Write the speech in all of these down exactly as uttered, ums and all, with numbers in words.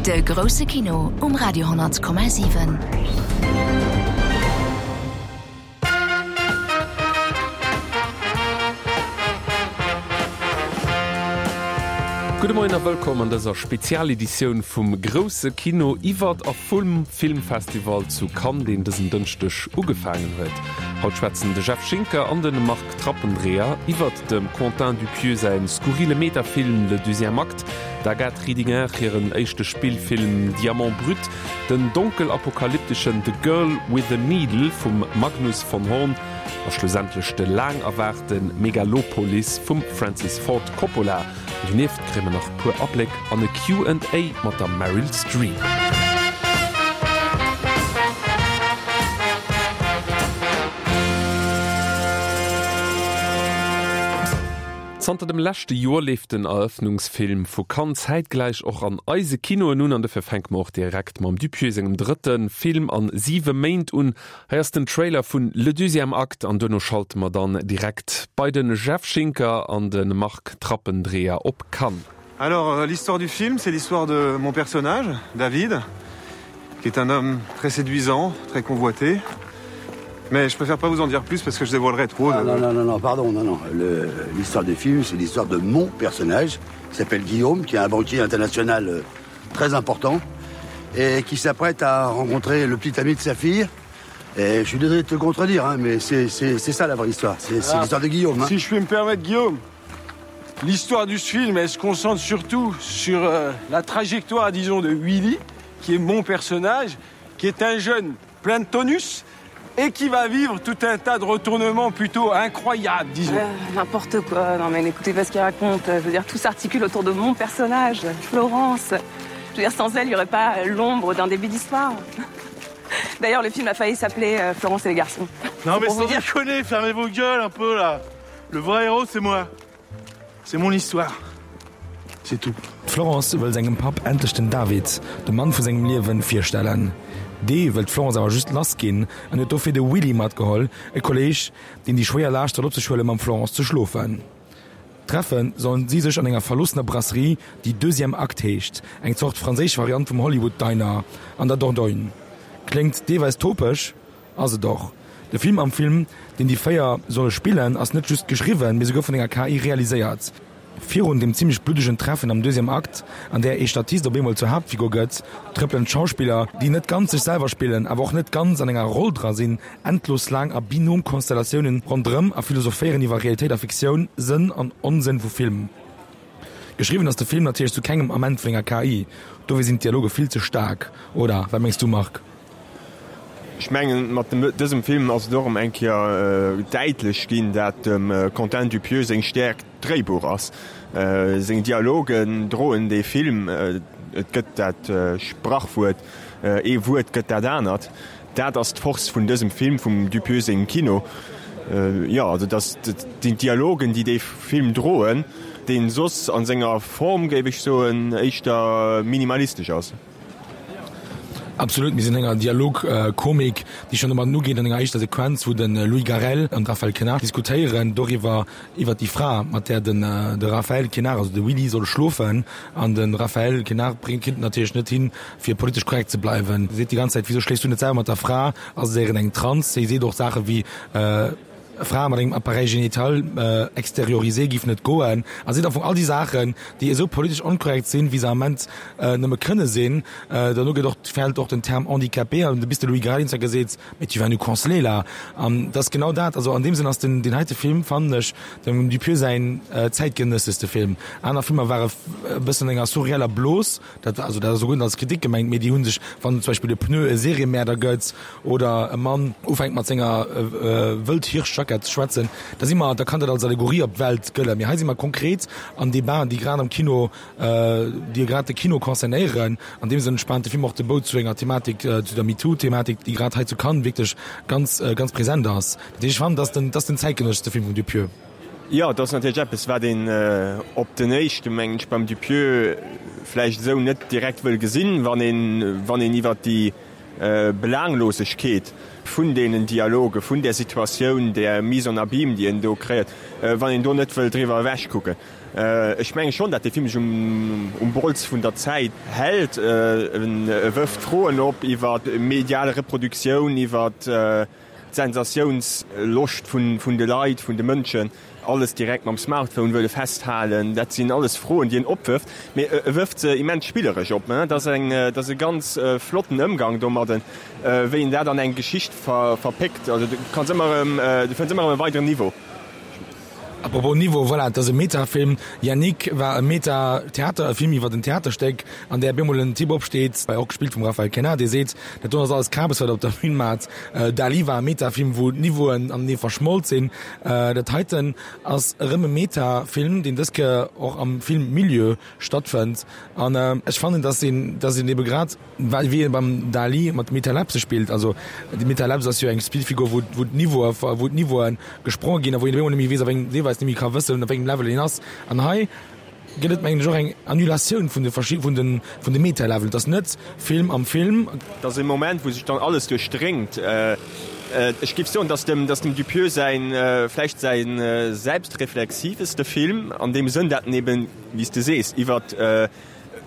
De grousse Kino um Radio honnert Komma siwen. Gudde Moien a wëllkomm an dëser Spezialeditioun vum grousse Kino iwwert a vum Filmfestival zu Cannes, deen dësen Dënschdeg ugefaangen huet. Haut schwätzen de Jeff Schinker an de Marc Trappendreher iwwert dem Quentin Dupieux säi skurrile Metafilm Le deuxième acte, d'Agathe Riedinger hiren éischte Spillfilm Diamant brut, den donkel-apokalypteschen The Girl with the Needle vum Magnus von Horn a schlussendlech de laang erwaarte Megalopolis vum Francis Ford Coppola. Donieft kréie mer nach e puer Abléck an e Q and A mat der Meryl Streep. Zanter dem leschte Joer leeft den Erëffnungsfilm vu Cannes zäitgläich och an eise Kinoen un an dofir fänke mer och direkt mam Dupieux sengem drëtte Film an siwe Méint un. Hei ass den Trailer vun Le deuxième acte an duerno schalte mer dann direkt bei de Jeff Schinker an de Marc Trappendreher op Cannes. Alors, l'histoire du film, c'est l'histoire de mon personnage, David, qui est un homme très séduisant, très convoité. Mais je préfère pas vous en dire plus parce que je dévoilerais trop. Ah, non, non, non, non, pardon, non, non. L'histoire du film, c'est l'histoire de mon personnage, qui s'appelle Guillaume, qui est un banquier international euh, très important et qui s'apprête à rencontrer le petit ami de sa fille. Et je suis désolé de te contredire, hein, mais c'est ça la vraie histoire. C'est ah, l'histoire de Guillaume. Hein. Si je puis me permettre, Guillaume, l'histoire du film, elle se concentre surtout sur euh, la trajectoire, disons, de Willy, qui est mon personnage, qui est un jeune plein de tonus et qui va vivre tout un tas de retournements plutôt incroyables, disons. Euh, n'importe quoi, non mais n'écoutez pas ce qu'il raconte. Je veux dire, tout s'articule autour de mon personnage, Florence. Je veux dire, sans elle, il n'y aurait pas l'ombre d'un début d'histoire. D'ailleurs, le film a failli s'appeler euh, Florence et les garçons. Non mais sans dire... déconner, fermez vos gueules un peu là. Le vrai héros, c'est moi. C'est mon histoire. C'est tout. D'Florence wëll sengem Papp endlech den David, de Mann vu sengem Liewen, virstellen. Dee wëll d'Florence awer just lass ginn an huet dofir de Willy matgeholl, e Kolleeg, deen déi schwéier Laascht soll op sech huelen, mam Florence ze schlofen. Treffe sollen si sech an enger verloossener Brasserie, déi Deuxième Acte heescht, eng Zort franséisch Variant vum Hollywood Diner an der Dordogne. Kléngt deelweis topeg, ass et och. De Film am Film, deen déi véier solle spillen, ass net just geschriwwen, mee souguer vun enger K I realiséiert. Virun dem zimmlech bluddegen Treffen am deuxième Akt, an där ee Statist op eemol zur Haaptfigur gëtt, trëppelen d'Schauspiller, déi net ganz sech selwer spillen, awer och net ganz an enger Roll dra sinn, endlos laang a Binom-Konstellatiounen ronderëm a philosophéieren iwwer Realitéit a Fiktioun, Sënn an Onsënn vu Film. Geschriwwen ass de Film natierlech zu kengem Ament vun enger K I, dofir sinn d'Dialoge vill ze staark, oder wat mengs du, Marc? Ech mengen, mat dësem Film ass et och erëm eng Kéier däitlech ginn, dat dem Quentin Dupieux seng Stäerkt d'Dréibuch ass. Seng Dialogen droen dee Film. Et gëtt dat Sprachwuert, ee Wuert gëtt dat anert. Dat ass d'Force vun dësem Film, vum Dupieux sengem Kino. Jo, also dat sinn d'Dialogen, déi dee Film droen, dee soss a senger Form, géif ech soen, éischter minimalistesch ass. Absolut, mir sinn an enger Dialogkomik, déi schonn domat ugeet, an enger éischter Sequenz, wou de Louis Garrel an de Raphaël Quenard diskutéieren doriwwer, iwwer déi Fra, mat där den de Raphaël Quenard, also de Willy, soll schlofen. An de Raphaël Quenard bréngt kritt et natierlech net hin, fir politesch korrekt ze bleiwen. Seet déi ganz Zäit, Wieso schléifs du net selwer mat der Fra? Ass et éieren eng Trans? Hie seet och Saache wéi, Fra mat engem Appareil génital extériorisé giff net goen. A seet am Fong all déi Saachen, déi esou politesch onkorrekt sinn, wéi se am Ament nëmme kënne sinn. Dono gëtt och, fält och den Term handicapé an du bis de Louis Garrel huet geseet, mais tu vas nous canceler là. An dat ass genau dat. Also an deem Sënn ass den, deen heite Film, fannen ech, dem Dupieux säin zäitgenëssechste Film. Aner Filmer ware e bëssen an enger surreeller Blos. Dat, also dat ass och guer net als Kritik gemengt, mee déi hu sech, wann zum Beispill de Pneu e Seriemäerder gëtt oder e Mann ufänkt mat senger Wëldhirschjackett ze schwätzen, da si mer, da kann dat als Allegorie op d'Welt gëllen. Mee hei si mer konkret an Debaten, déi grad am Kino, déi grad de Kino concernéieren. An deem Sënn spaant de Film och de Bou zu enger Thematik, zu der MeToo-Thematik, déi grad hei zu Cannes wierklech ganz, ganz present ass. Dat heescht, ech fannen, dat ass den, dat ass den zäitgenësseschste Film vum Dupieux. Jo, et ass natierlech eppes, wat een op den éischte, mengen ech, beim Dupieux vläicht esou net direkt wëll gesinn, wann een, wann een iwwert déi Belaanglosegkeet vun deenen Dialoge, vun där Situatioun, där Mise en abyme, déi en do kreéiert, wann een do net wëll driwwer ewechkucken. Ech menge schonn, datt dee Film sech um Bols vun der Zäit hält. E wërft Froen op iwwer medial Reproduktioun, iwwer d'Sensatiounsloscht vun de Leit, vun de Mënschen, alles direkt mam Smartphone wëlle festhalen. Dat sinn alles Froen, déi en opwërft, mee e wërft se immens spilleresch op. Dat ass eng, dat ass e ganz flotten Ëmgang domadden, wéi en dat an eng Geschicht verpéckt. Also du kanns ëmmer erëm, du fënns ëmmer erëm e weideren Niveau. Apropos Niveau, voilà, et ass e Metafilm. Yannick war e Meta-Theater, e Film iwwer en Theaterstéck, an där bemol en Typ opsteet, och gespillt vum Raphaël Quenard, dee seet, dat do ass alles Kabes, wat der op der Bühn maacht. Dali war e Metafilm, wou d'Niveauen anenee verschmolt sinn. Dat heiten ass erëm e Metafilm, deen dës Kéier och am Filmmilieu stattfënnt. An ech fannen, dass een, dass een ebe grad, well wéi ee beim Dali mat Metalepse spillt, also déi Metalepse ass jo eng Spillfigur, wou, wou d'Niveaue, wou d'Niveaue gespronge ginn a wou een op eemol net méi weess, op engem, deelweis net méi ka wëssen, op wéi engem Level een ass. An hei gëtt et, mengen ech, och eng Annulatioun vun de verschi-, vun de, vun de Metalevelen. Et ass net Film am Film. Et ass e Moment, wou sech dann alles duerchdréngt. Ech géif soen, dass dem, dass dem Dupieux säin, vläicht säi selbstreflexiveste Film, an deem Sënn, dat en eben, wéi s de sees, iwwert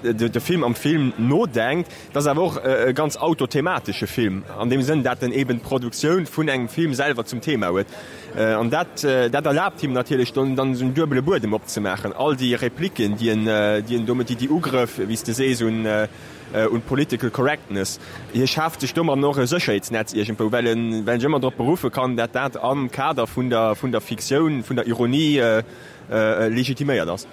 de Film am Film nodenkt. Et ass awer och e ganz autothematesche Film, an deem Sënn, dat en eben d'Produktioun vun engem Film selwer zum Thema huet. An dat, dat erlaabt him natierlech dann, dann esou en duebele Buedem opzemaachen. All déi Repliken, déi en, déi en domat, déi, déi Ugrëff, wéi s de sees, un, un d'Political Correctness, hie schaaft sech domadden och e Sécherheetsnetz iergendwou, well en, well en sech ëmmer drop beruffe kann, dat dat am Kader vun der, vun der Fiktioun, vun der Ironie legitiméiert ass.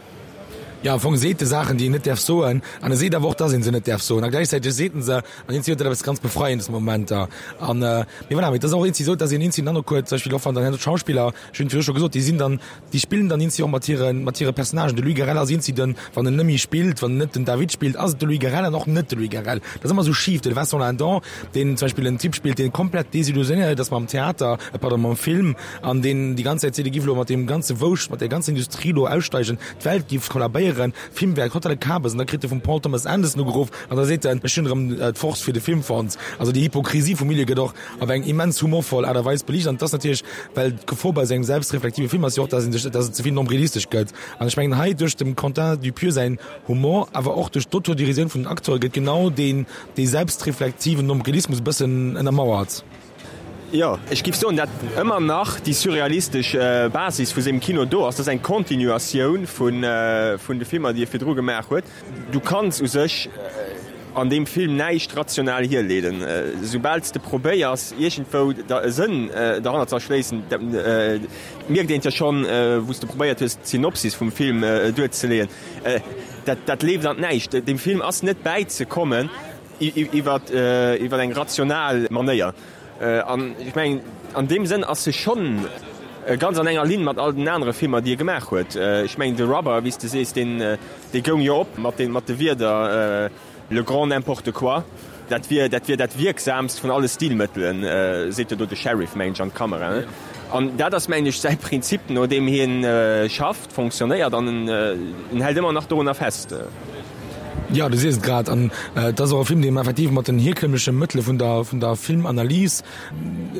Jo, am Fong seet e Saachen, déi een net däerf soen, an e seet awer och, dass ee se net däerf soen. A gläichzäiteg seet en se, an eenzi huet dat eppes ganz Befreiendes Momenter. An, mee voilà, mee et ass och eenzi esou, dass een eenzi den Androck huet, zum Beispill och wann dann herno d'Schauspiller, ech hunn et virdru scho gesot, déi sinn dann, déi spillen dann eenzi och mat hiren, mat hire Personnagen. De Louis Garrel ass eenzi den, wann en net méi spillt, wann en net den David spillt, ass et de Louis Garrel an och net de Louis Garrel. Dat ass ëmmer esou schif. De Vincent Lindon, deen zum Beispill en Typ spillt, deen komplett desillusionéiert ass mam Theater, pardon, mam Film, an deen déi ganz Zäit seet, e giff elo mat deem ganze Wouscht, mat där ganzer Industrie elo aussteigen, d'Welt giff kollabéieren, Film wär totale Kabes, an da kritt e vum Paul Thomas Anderson ugeruff an da seet en, ech hunn erëm d'Force fir de Film fonnt. Also déi Hypokrisie vum Milieu gëtt och op eng immens humorvoll Aart a Weis beliicht, an et ass natierlech, well d'Gefor bei esou engem selbstreflektive Film ass jo och, dass een sech, dass et ze vill nombrilistesch gëtt, an ech mengen hei duerch dem Quentin Dupieux säin Humor, awer och duerch d'Autodérisioun vun den Acteure gëtt genau deen, dee selbstreflektiven Nombrilismus e bëssen ënnermauert. Jo, ech giff soen, dat ëmmer nach déi surrealistesch Basis vu sengem Kino do ass. Dat ass eng Continuatioun vun vun de Filmer, déi e virdru gemaach huet. Du kanns u sech an deem Film näischt rational hierleeden. Soubal s de probéiers, iergendwou der e Sënn derhannert ze erschléissen, dat mierkt een jo schonn, wou s de probéiert hues, d'Synopsis vum Film duerzeleeën, dat dat leeft an d'Näischt. Deem Film ass net bäizekommen iwwer eng rational Manéier. An ech mengen, an deem Sënn ass e schonn ganz an enger Linn mat all den anere Filmer, déi e gemaach huet. Ech mengen, de Rubber, wéi s de sees, deen, dee goung jo op mat de, mat de Wierder le grand n'importe quoi. Dat wier, dat wier dat wierksaamst vun alle Stilmëttelen, seet jo do de Sheriff, mengen ech, an d'Kamera. An dat ass, mengen ech, säi Prinzip, no deem hien schafft, fonctionnéiert, an en hält ëmmer nach dorunner fest. Jo, du sees et grad. An et ass och e Film, deen effektiv mat den hierkömmleche Mëttele vun der, vun der Filmanalys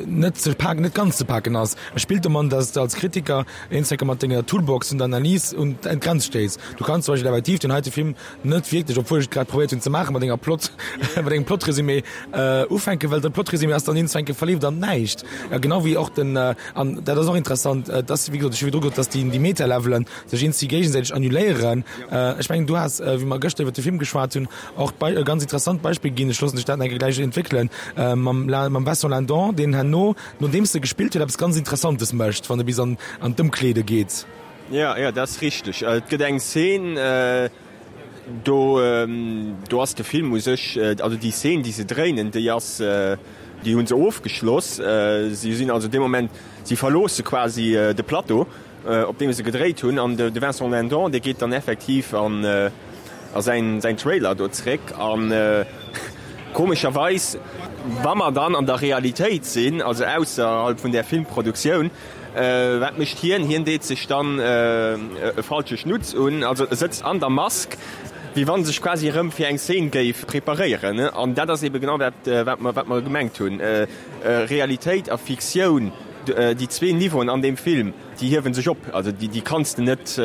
net ze paken, net ganz ze paken ass. E spillt domat, dass de als Kritiker eenzecker mat denger Toolbox vun der Analys un d'Grenz stéiss. Du kanns zum Beispill effektiv deen heite Film net wierklech, obwuel ech et grad probéiert hunn ze maachen, mat enger Plot, mat engem Plotrésumé ufänken, well de Plotrésumé ass dann eenzecker verleeft an näischt. Genau wéi och den, an dat ass och interessant, dass, wéi gesot, ech hu virdru gesot, dass déi, déi Metalevelen sech eenzi géigesäiteg annuléieren. Ech mengen, du has, wéi mer gëschter iwwer de Film geschwat hunn, och e ganz interessant Beispill ginn, ech loossen dech dat nach eng Kéier gläich entwéckelen, mam mam Vincent Lindon, deen herno, nodeems e gespillt huet, eppes ganz Interessantes mécht, wann e bis an an d'Ëmkleede geet. Jo, jo, dat ass richteg. Et gëtt eng Szen, do, do ass de Film u sech, also déi Szen, déi se dréinen, déi ass, déi hu se ofgeschloss. Si sinn also dee Moment, si verloosse quasi de Plateau, op deem se gedréit hunn, an de Vincent Lindon, dee geet dann effektiv an a säin säin Trailer do zréck an komescherweis, wa mer dann an der Realitéit sinn, also ausserhalb vun där Filmproduktioun, wat mécht hien? Hien deet sech dann e falsche Schnutz un, also e sëtzt an der Mask wéi wann sech quasi erëm fir eng Szene géif preparéieren. An dat ass ebe genau dat, wat mer, wat mer gemengt hunn. Realitéit a Fiktioun, déi zwee Niveauen an deem Film, déi hiewe sech op. Also déi, déi kanns de net,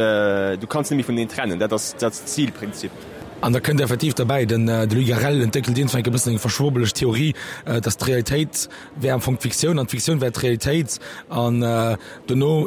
du kanns net méi vuneneen trennen. Dat ass, dat ass d'Stilprinzip. An da kënnt effektiv derbäi, den de Louis Garrel entwéckelt iergendwann e bëssen eng verschwurbeleg Theorie, dass d'Realitéit wär am Fong d'Fiktioun an d'Fiktioun wär d'Realitéit. An dono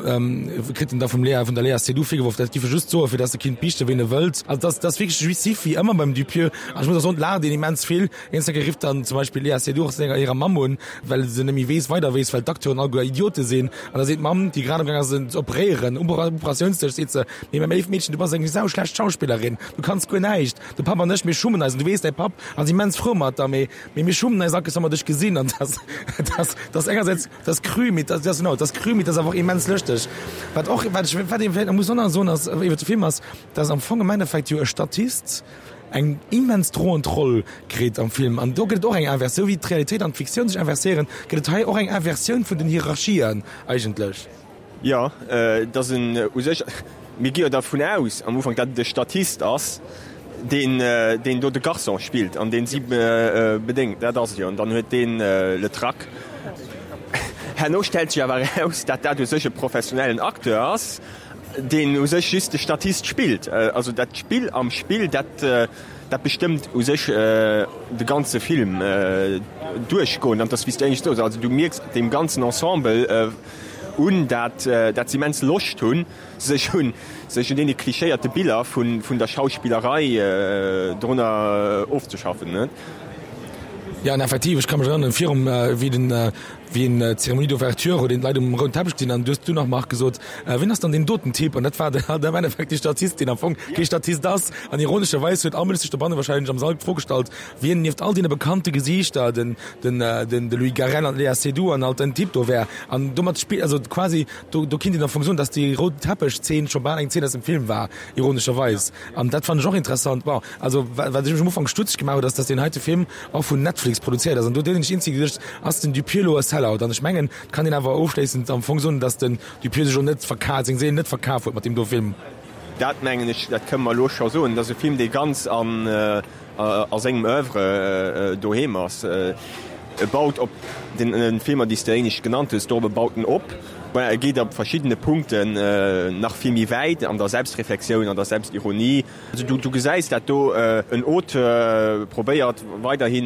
kritt en da vum Léa, vun der Léa Seydoux virgeworf, dat giff e just soen, fir dass e kinnt biichten, wéi en e wëllt. Also dat ass wierklech jouissif, wéi ëmmer beim Dupieux. An ech muss och soen, et laacht een immens vill. Eens eng Kéier rifft dann zum Beispill d'Léa Seydoux och senger hirer Mamm un, well se net méi weess, weider weess, well d'Acteuren alleguer Idiote sinn. An da seet d'Mamm, déi grad amgaang ass, en ze operéieren, um Operatiounsdësch, seet se, Mee mäi léift Meedchen, du bass eng sauschlecht Schauspillerin, du kanns guer näischt. De Papp an ech, mir schummen eis. An du weess, däi Papp ass immens frou mat der, mee, mee mir schummen eis Akes, wa mer dech gesinn. An dat, dat, dat ass engersäits, dat ass cru, mee dat ass, genau, dat ass cru, mee dat ass awer och immens lëschteg. Wat och, wat ech, wat ee vläicht nach muss och nach soen ass, iwwer de Film ass, dass am Fong am Endeffekt jo e Statist eng immens droend Roll kritt am Film. An do gëtt et och eng Inversioun, esou wéi d'Realitéit an d'Fiktioun sech inverséieren, gëtt et hei och eng Inversioun vun den Hierarchien eigentlech. Jo, et ass en u sech, mir gi jo dervun aus am Ufank, datt et e Statist ass, deen, deen do de Garçon spillt an deen si bedéngt. Dat ass et jo. An dann huet deen le trac. Herno stellt sech awer eraus, datt dat u sech e professionellen Acteur ass, deen u sech just de Statist spillt. Also dat Spill am Spill, dat, dat bestëmmt u sech de ganze Film duerchgoend. An et ass, wéi s du éinescht soos, also du mierks deem ganzen Ensemble, un, dat dat se immens Loscht hunn, sech un sech un deene klichéierte Biller vun vun der Schauspillerei drunner ofzeschaffen. Jo, an effektiv, ech ka mech erënneren, virum wéi den wéi en d'Cérémonie d'ouverture huet een d'Leit um rouden Teppech gesinn an du hues du nach, Marc, gesot, Wien ass dann deen doten Typ? An dat war dann halt am Endeffekt dee Statist, deen am Fong kee Statist ass. An ironescherweis huet all Mënsch sech dobanne wahrscheinlech am Sall d'Fro gestallt, wien nieft all deene bekannte Gesiichter, den den den de Louis Garrel an d'Léa Seydoux an alt den Typ do wär. An domat spillt, also quasi do do kinnt een am Fong soen, datt déi rout Teppech-Zeen scho bal eng Zeen aus dem Film war, ironescherweis. An dat fannen ech och interessant. Bon, also wa wat ech mech am Ufank stutzeg gemaach huet, ass, datt deen heite Film och vun Netflix produzéiert ass. An do hunn ech eenzel geduecht, ass den Dupieux elo e Sellout? An ech mengen, et kann een awer ofschléissend am Fong soen, datt den Dupieux sech elo net verkaf, seng Séil net verkaf huet mat deem do Film. Dat mengen ech, dat kënne mer elo scho soen, et ass e Film, dee ganz an a sengem Oeuvre doheem ass. E baut op den Filmer, déi s de éinescht genannt hues, dorop baut en op. Voilà, e geet op verschiddene Punkten nach vill méi wäit an der Selbstreflexioun, an der Selbstironie. Also du, du gesäis, dat do en Auteur probéiert weiderhi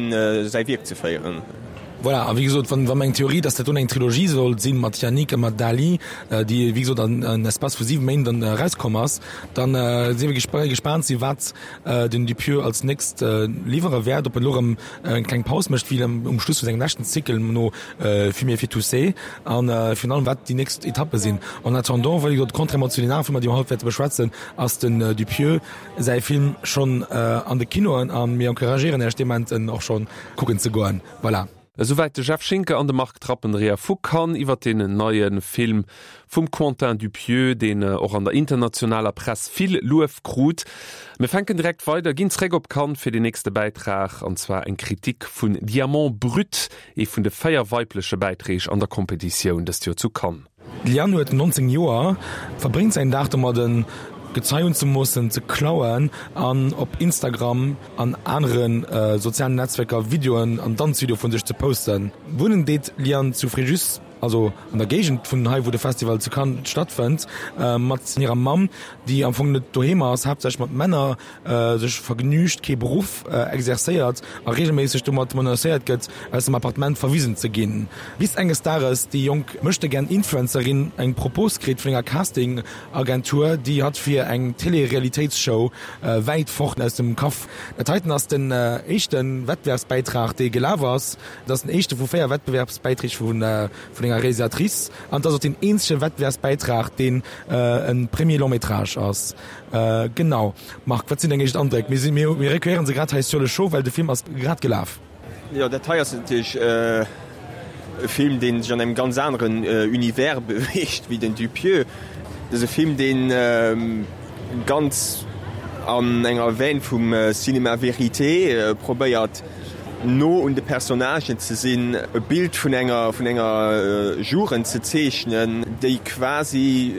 säi Wierk ze féieren. Voilà, a wéi gesot, wann, wa meng Theorie, dass dat do eng Trilogie sollt sinn mat Yannick a mat Dali, déi wéi gesot an en Espace vu siwe Méint dann erauskomm ass, dann si mir gespaant si wat den Dupieux als nächst liwwere wäert, ob en elo erëm eng kleng Paus mécht wéi um Schluss vu sengem leschten Zykel no Fumer fir tousser an virun allem wat déi nächst Etappe sinn. En attendant, wéi gesot, contrairement zu den anere Filmer, déi mer haut wäerte beschwätzen, ass den Dupieux säi Film schonn an de Kinoen a mir encouragéieren Iech dement en och schonn kucken ze goen. Voilà. Esouwäit de Jeff Schinker an de Marc Trappenreer vu Cannes iwwer deen neie Film vum Quentin Dupieux, deen och an der internationaler Press vill Luef krut. Mir fänken direkt weider, ginn zréck op Cannes fir deen nächste Bäitrag, an zwar eng Kritik vun Diamant brut, ee vun de véier weibleche Bäiträg an der Kompetitioun dëst Joer zu Cannes. D'Liane huet neunzéng Joer, verbréngt säin Dag domadden, Gezei unzemoossen, ze klauen an op Instagram an anere sozialen Netzwerker Videoen an Danzvideoe vu sech ze posten. Wunnen deet d'Liane zu Fréjus, also an der Géigend vun hei wou de Festival zu Cannes stattfënnt, mat hirer Mamm, déi am Fong net doheem ass, haaptsächlech mat Männer sech vergnügt, kee Beruff exerzéiert a reegelméisseg domat menacéiert gëtt, aus dem Appartement verwisen ze ginn. Bis enges Dages déi jonk Möchtegern-Influencerin eng Propos kritt vun enger Casting-Agentur, déi hatt fir eng Télé-Realitéitsshow wäit fort aus dem Kaff. Dat heiten ass den éischte Wettbewerbsbäitrag, dee gelaf ass. Et ass den éischte vu véier Wettbewerbsbäiträg vun enger Realisatrice an et ass och deen eenzege Wettbewerbsbäitrag, deen e Premier long métrage ass. Genau. Marc, wat sinn deng éischt Andréck? Mir sinn, mir recueillieren se grad hei sur le chaud, well de Film ass grad gelaf. Jo, dat hei ass natierlech e Film, dee sech an engem ganz aneren Univers beweegt wéi den Dupieux. Et ass e Film, dee ganz an enger Veine vum Cinéma vérité probéiert, no un de Personnagen ze sinn, e Bild vun enger vun enger Jugend ze zeechnen, déi quasi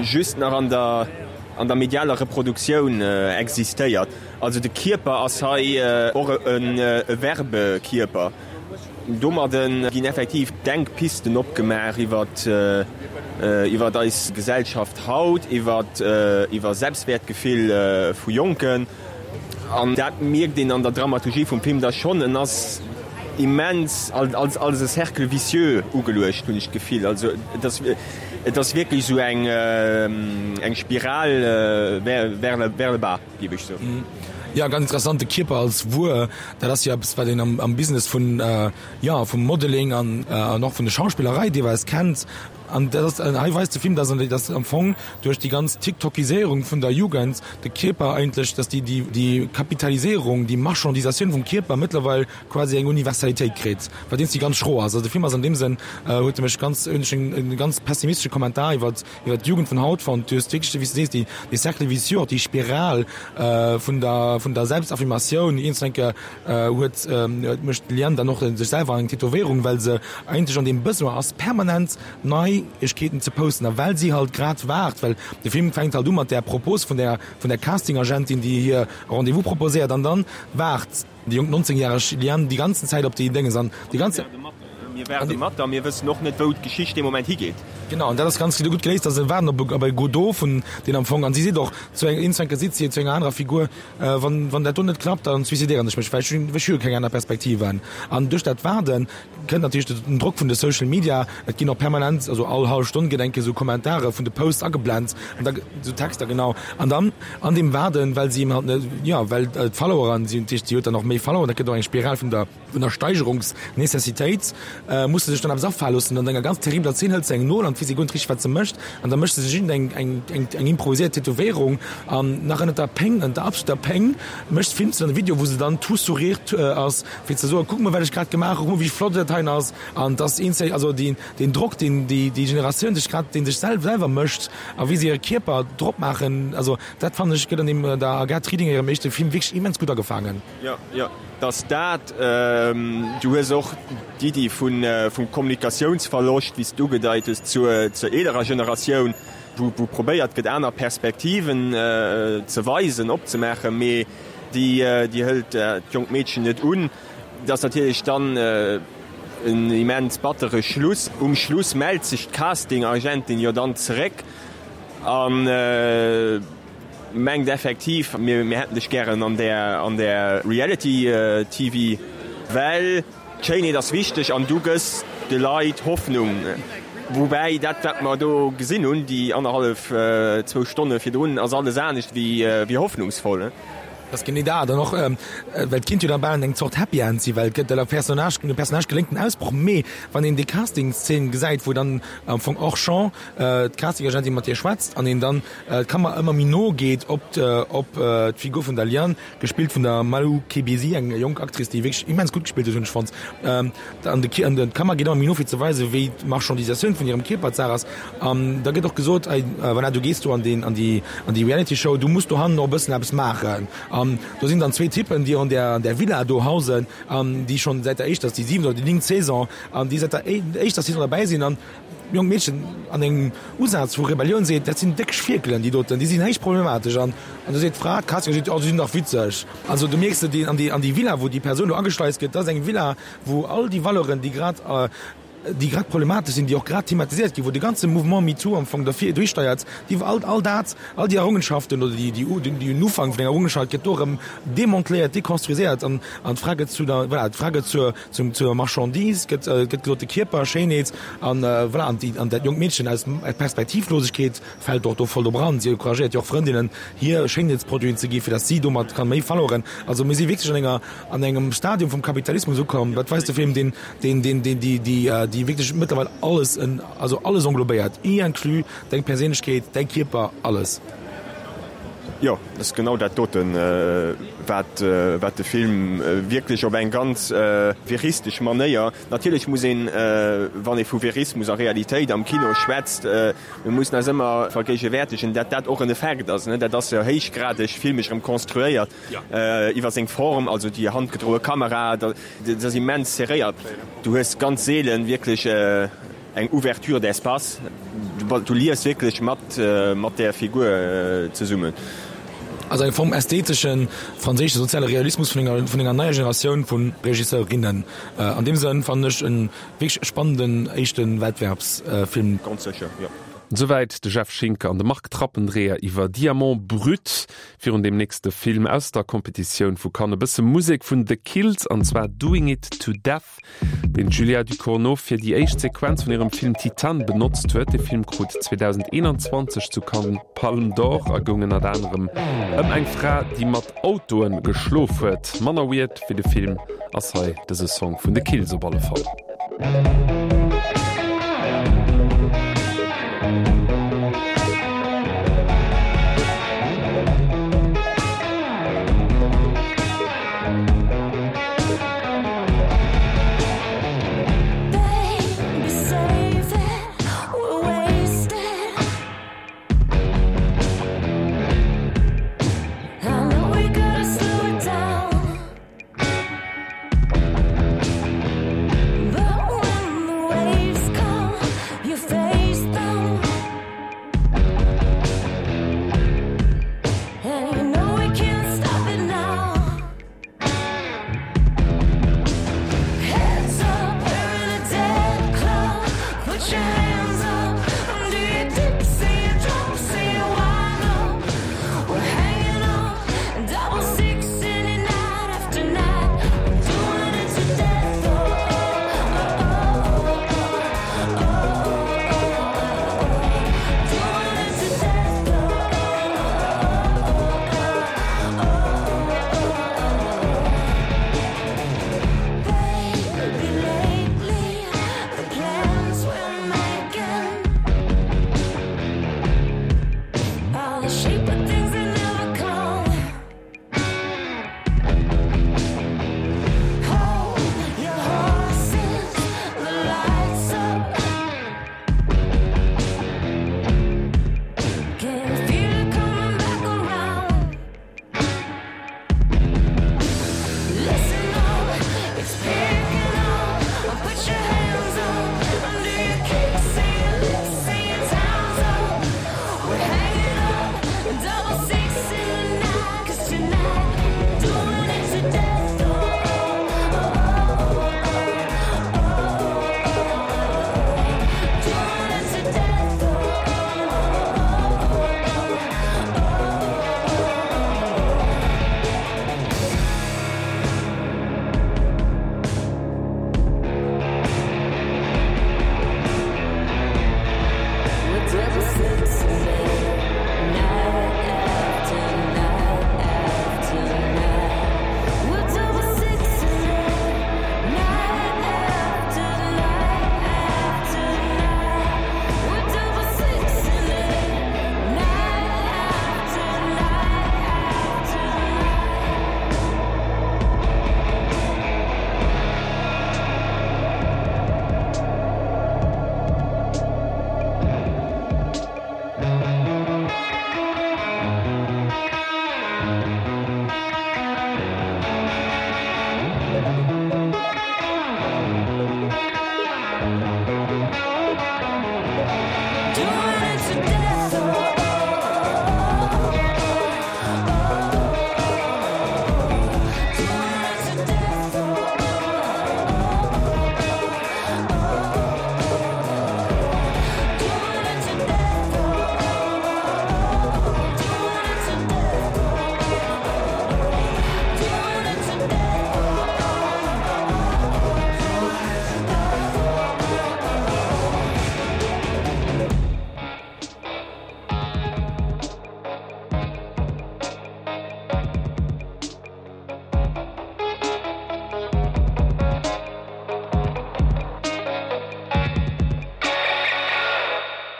just nach an der an der medialer Reproduktioun existéiert. Also de Kierper ass hei och e Werbekierper. Domadde ginn effektiv Denkpisten opgemaach iwwer iwwer eis Gesellschaft haut, iwwer iwwer Selbstwäertgefill vu Jonken. An dat mierkt een an der Dramaturgie vum Film da schonn, en ass immens als als e Cercle vicieux ugeluecht, hunn ech d'Gefill. Also et ass et ass wierklech esou eng eng Spiral vers vers le vers le bas, géif ech soen. Jo, ganz interessant, de Kierper als Wuer, dat ass jo eppes, wat een am am Business vun, jo, vum Modeling an an och vun de Schauspillerei deelweis kennt. An dat ass, hei weist de Film, dass dass am Fong duerch déi ganz Tiktokiséierung vun der Jugend de Kierper eigentlech, dass déi déi déi Kapitaliséierung, déi Marchandisatioun vum Kierper mëttlerweil quasi eng Universalitéit kritt, wat iergendwéi ganz schro ass. Also de Film ass an deem Sënn, huet e mech ganz, hunn ech en ganz pessimistesche Kommentar iwwert iwwert d'Jugend vun haut fonnt. Du hues wierklech, wéi s de sees, déi dee Cercle vicieux, och déi Spiral vun der vun der Selbstaffirmatioun. Iergendwann eng Kéier huet mécht d'Liane dann och sech selwer eng Tätowéierung, well se eigentlech an deem Besoin ass, permanent Neiegkeeten ze posten a well si halt grad waart, well de Film fänkt halt u mat där Propos vun der vun der Casting-Agentin, déi hir e Rendez-vous proposéiert an dann waart déi jonk nonzéngjäreg Liane déi ganzen Zäit op déi Dénges an déi ganz. Mir waarde mat a mir wëssen och net, wou d'Geschicht dee Moment higeet. Genau, an dat ass ganz gutt geléist, dass se waarden op e Godot vun deen am Fong, an si seet och zu eng, eenz seet si zu enger anerer Figur, Wann, wann dat do net klappt, dann suicidéieren ech mech, well ech hunn, ech hu jo keng aner Perspektiven. An duerch dat Waarde kënnt natierlech den Drock vun de Social Media, et ginn och permanent, also all hallef Stonn ginn eng Kéier esou Kommentare vun de Posts ageblent an da, esou Texter, genau. An dann an deem Waarden, well si eben halt net, jo, well d'Followeren, si hunn natierlech, si huet dann och méi Follower, dat gëtt och eng Spiral vun der, vun der Steigerungsnecessitéit, muss se sech dann eppes afale loossen. An enger ganz terribler Zeen hëlt se eng Nol an d'weess guer net richteg, wat se mécht, an da mécht se sech iergend eng, eng, eng, eng improviséiert Tätowéierung an nach ënnert der Péng, ënnert der absoluter Péng mécht, filmt se dann e Video, wou se dann tout sourire ass, fir ze soen, kuck mol, wat ech grad gemaach hu, kuck mol, wéi flott dat heien ass. An dass een, also deen, deen Drock, deen déi, déi Generatioun sech grad, dee sech selwer mécht a wéi se hire Kierper drop maachen, also dat fannen ech gëtt an deem, der Agathe Riedinger hirem éischte Film wierklech immens gutt agefaangen. Jo, jo. Dass dat, du hues och d'Iddi vum Kommunikatiounsverloscht, wéi s de ugedeit hues, zur eelerer Generatioun, wou probéiert gëtt, aner Perspektiven ze weisen, opzemaachen, mee déi hëlt d'jonkt Meedchen net un. Dat ass natierlech dann en immens battere Schluss. Um Schluss mellt sech d'Casting-Agentin jo dann zeréck an mengt effektiv, mir hätten dech gären an där an där Reality T V, well d'Schéinheet ass wichteg an du gëss de Leit Hoffnung. Woubäi dat, wat mer do gesinn hunn, déi annerhallef, zwou Stonne virdrun, ass alles anescht wéi hoffnungsvoll. Dat ass genee dat. An och, well et kinnt jo da bal eng Zort Happy End sinn, well et gëtt der Personnage, dem Personnage geléngt den Ausbroch, mee wann een déi Castingszeen gesäit, wou dann am Fong hors champ d'Castingagentin mat hir schwätzt an een dann d'Kamera ëmmer méi no geet op op d'Figur vun der Liane, gespillt vun der Malou Kebisi, eng jonk Actrice, déi wierklech immens gutt gespillt huet, hunn ech fonnt, an de an d'Kamera geet ëmmer méi no fir ze weisen, wéi d'Marchandisatioun vun hirem Kierper d'Saach ass. An da gëtt och gesot, ey, voilà, du gees do an deen an déi an déi Reality Show, du muss dohannen och e bëssen eppes maachen. An do sinn dann zwee Typen, déi an där an där Villa do hausen an déi schonn säit der éischter, ass déi siwent oder déi néngt Saison, an déi säit der éischter Saison derbäi sinn. An d'jonkt Meedchen an engem Usaz vu Rebellioun seet, dat sinn déck Schwierkelen, déi doten, déi sinn héich problematesch. An an du seet d'Fra, d'Casting, seet, oh, déi sinn dach witzeg. Also du mierks, déi an déi an déi Villa, wou déi Persoun do ageschleist gëtt, dat ass eng Villa, wou all déi Valeuren, déi grad, déi grad problematesch sinn, déi och grad thematiséiert ginn, wou de ganze Mouvement MeToo am Fong derfir duerchsteiert, déi all, all dat, all déi Errungenschaften oder déi, déi, déi den Ufank vun enger Errungenschaft gëtt do erëm demanteléiert, dekonstruiséiert an, an d'Fra gëtt zu der, voilà, d'Fra gëtt zur, zum, zur Marchandise, gëtt, gëtt gesot, de Kierper, Schéinheet an, voilà, an déi, an dat jonkt Meedchen aus Perspektivlosegkeet fält och do voll drop eran. Si encouragéiert jo och Frëndinnen, hir Schéinheetsproduiten ze gi fir datt si domat kann méi Followeren. Also mir si wierklech an enger, an engem Stadium vum Kapitalismus ukomm, dat weist de Film, deen, deen, deen, deen, déi, déi, déi wierklech mëttlerweil alles, also alles englobéiert, y inclus deng Perséinlechkeet, däi Kierper, alles. Jo, dat ass genau dat doten, wat, wat de Film wierklech op eng ganz veristesch Manéier, natierlech muss een, wann ee vu Verismus a Realitéit am Kino schwätzt, mir mussen eis ëmmer vergéigewäertegen, dat dat och en Effekt ass, dat ass jo héichgradeg filmesch erëm konstruéiert iwwer seng Form, also déi handgedroe Kamera, dat ass immens serréiert. Du hues ganz seelen wierklech eng Ouverture d'espace, du liefs wierklech mat mat där Figur zesummen. Also eng Form ästheteschen franséische soziale Realismus vun enger vun enger neier Generatioun vu Regisseurinnen. An deem Sënn fannen ech e wierklech spannenden éischte Wettbewerbsfilm. Ganz sécher, jo. Souwäit de Jeff Schinker an de Marc Trappendreher iwwer Diamant Brut. Virun deem nächste Film aus der Competitioun vu Cannes e bësse Musek vun The Kills, an zwar Doing It To Death, deen d'Julia Ducournau fir déi éischt Sequenz vun hirem Film Titane benotzt huet. De Film krut zweedausendeenanzwanzeg zu Cannes d'Palme d'Or a goung ënnert anerem ëm eng Fra, déi mat Autoe geschlof huet. Manner weird wéi de Film ass hei dëse Song vun The Kills op alle Fall.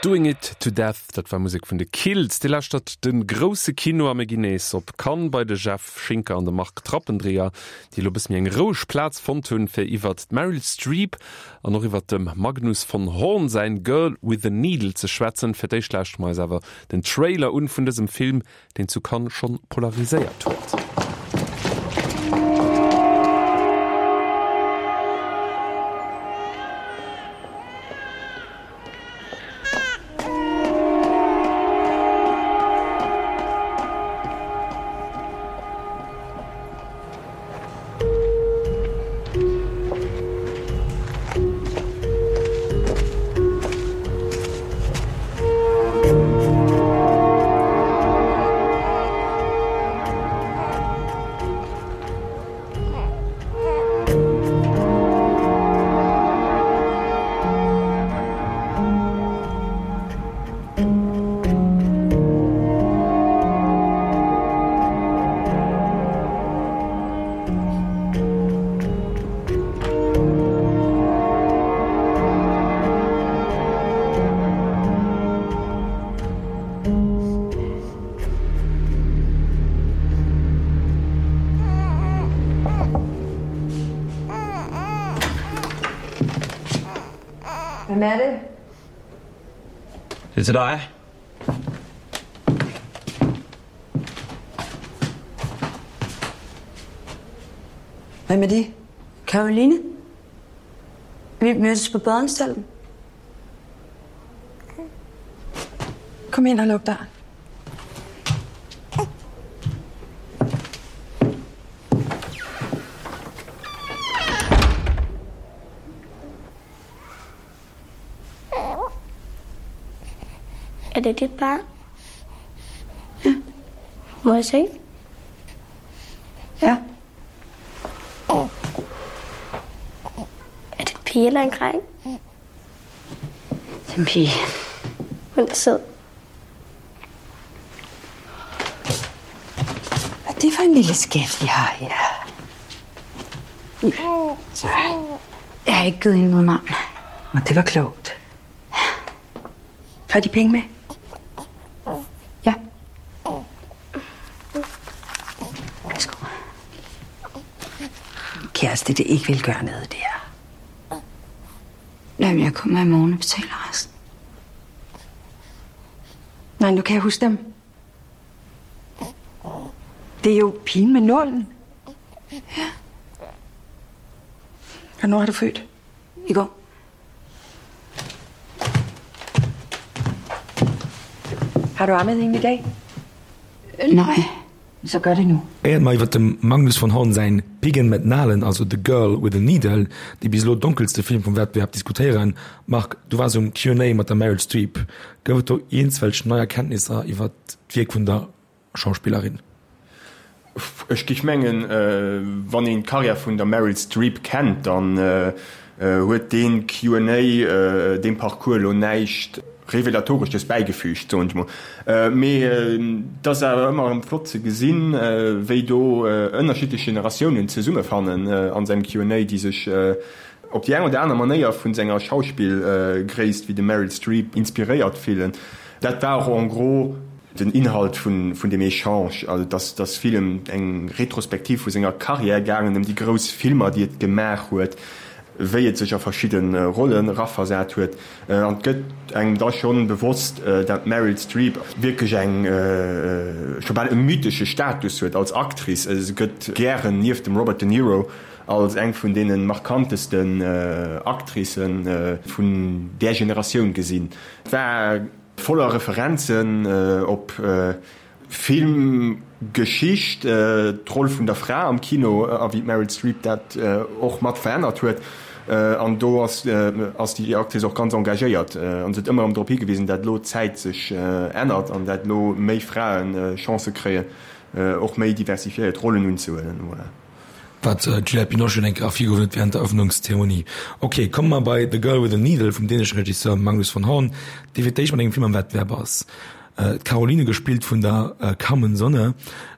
Doing It To Death, dat war Musek vun de Kills. Dir lauschtert de Grousse Kino a mir ginn nees op Cannes bei de Jeff Schinker an de Marc Trappendreher, déi elo e bësse méi eng roueg Plaz fonnt hunn, fir iwwert d'Meryl Streep an och iwwert dem Magnus von Horn säin Girl with a Needle ze schwätzen. Fir d'éischt lauschtere mer eis awer den Trailer un vun dësem Film, deen zu Cannes schonn polariséiert huet. Hvem er det? Det er til dig. Hvem er de? Caroline. Vi mødtes på badeanstalten. Kom ind og luk døren. Er det dit barn? Ja. Må jeg se? Ja. Er det en pige eller en dreng? Det er en pige. Hun er sød. Hvad er det for en lille skat, vi har her? Så. Jeg har ikke givet hende noget navn. Og det var klogt. Har de penge med? Ja. Værsgo. Kæreste, det ikke vil gøre noget der. Jamen, jeg kommer i morgen og betaler resten. Nej, nu kan jeg huske dem. Det er jo pigen med nålen. Ja. Hvornår har du født? I går. Har du ammet hende i dag? Nej. Så gør det nu. Éiert mer iwwer dem Magnus von Horn säin Piggen met Nalen, also The Girl with the Needle, dee bis elo donkelste Film vum Wettbewerb, diskutéieren, Marc, du waars um Q and A mat der Meryl Streep. Gouf et do iergendswelch nei Erkenntnisser iwwer d'Wierk vun der Schauspillerin? Ech géif mengen, wann een d'Karriär vun der Meryl Streep kennt, dann huet dee Q and A deem Parcours elo näischt Revelatoresches bäigefügt, soen ech mol. Mee et ass awer ëmmer erëm flott ze gesinn, wéi do ënnerschiddlech Generatiounen zesummefannen an sengem Q and A, déi sech op déi eng oder aner Manéier vun senger Schauspillgréisst wéi dem Meryl Streep inspiréiert fillen. Dat war och en gros den Inhalt vun deem Echange, also et ass vill ëm eng Retrospektiv vu senger Karriär gaangen, ëm déi grouss Filmer, déi et gemaach huet, wéi et sech a verschidde Rollen eraversat huet. An et gëtt engem da schonn bewosst, dat d'Meryl Streep wierklech eng, scho bal e mythesche Status huet als Actrice. Se gëtt gären nieft dem Robert De Niro als eng vun deene markantesten Actricë vun där Generatioun gesinn. Et war voller Referenzen op Filmgeschicht, d'Roll vun der Fra am Kino a wéi d'Meryl Streep dat och mat verännert huet. An do ass déi Actrice och ganz engagéiert an se huet ëmmer erëm drop higewisen, dat elo d'Zäit sech ännert an dat elo méi Frae Chancë kréien, och méi diversifiéiert Rollen unzehuelen. Voilà. Wat d'Juliette Binoche eng Kéier ervirgehuewen huet während der Eröffnungszeremonie. Ok, komme mer bei The Girl with the Needle vum dänesche Regisseur Magnus von Horn, dee fir d'éischt mat engem Film am Wettbewerb ass. D'Caroline, gespillt vun der Carmen Sonne,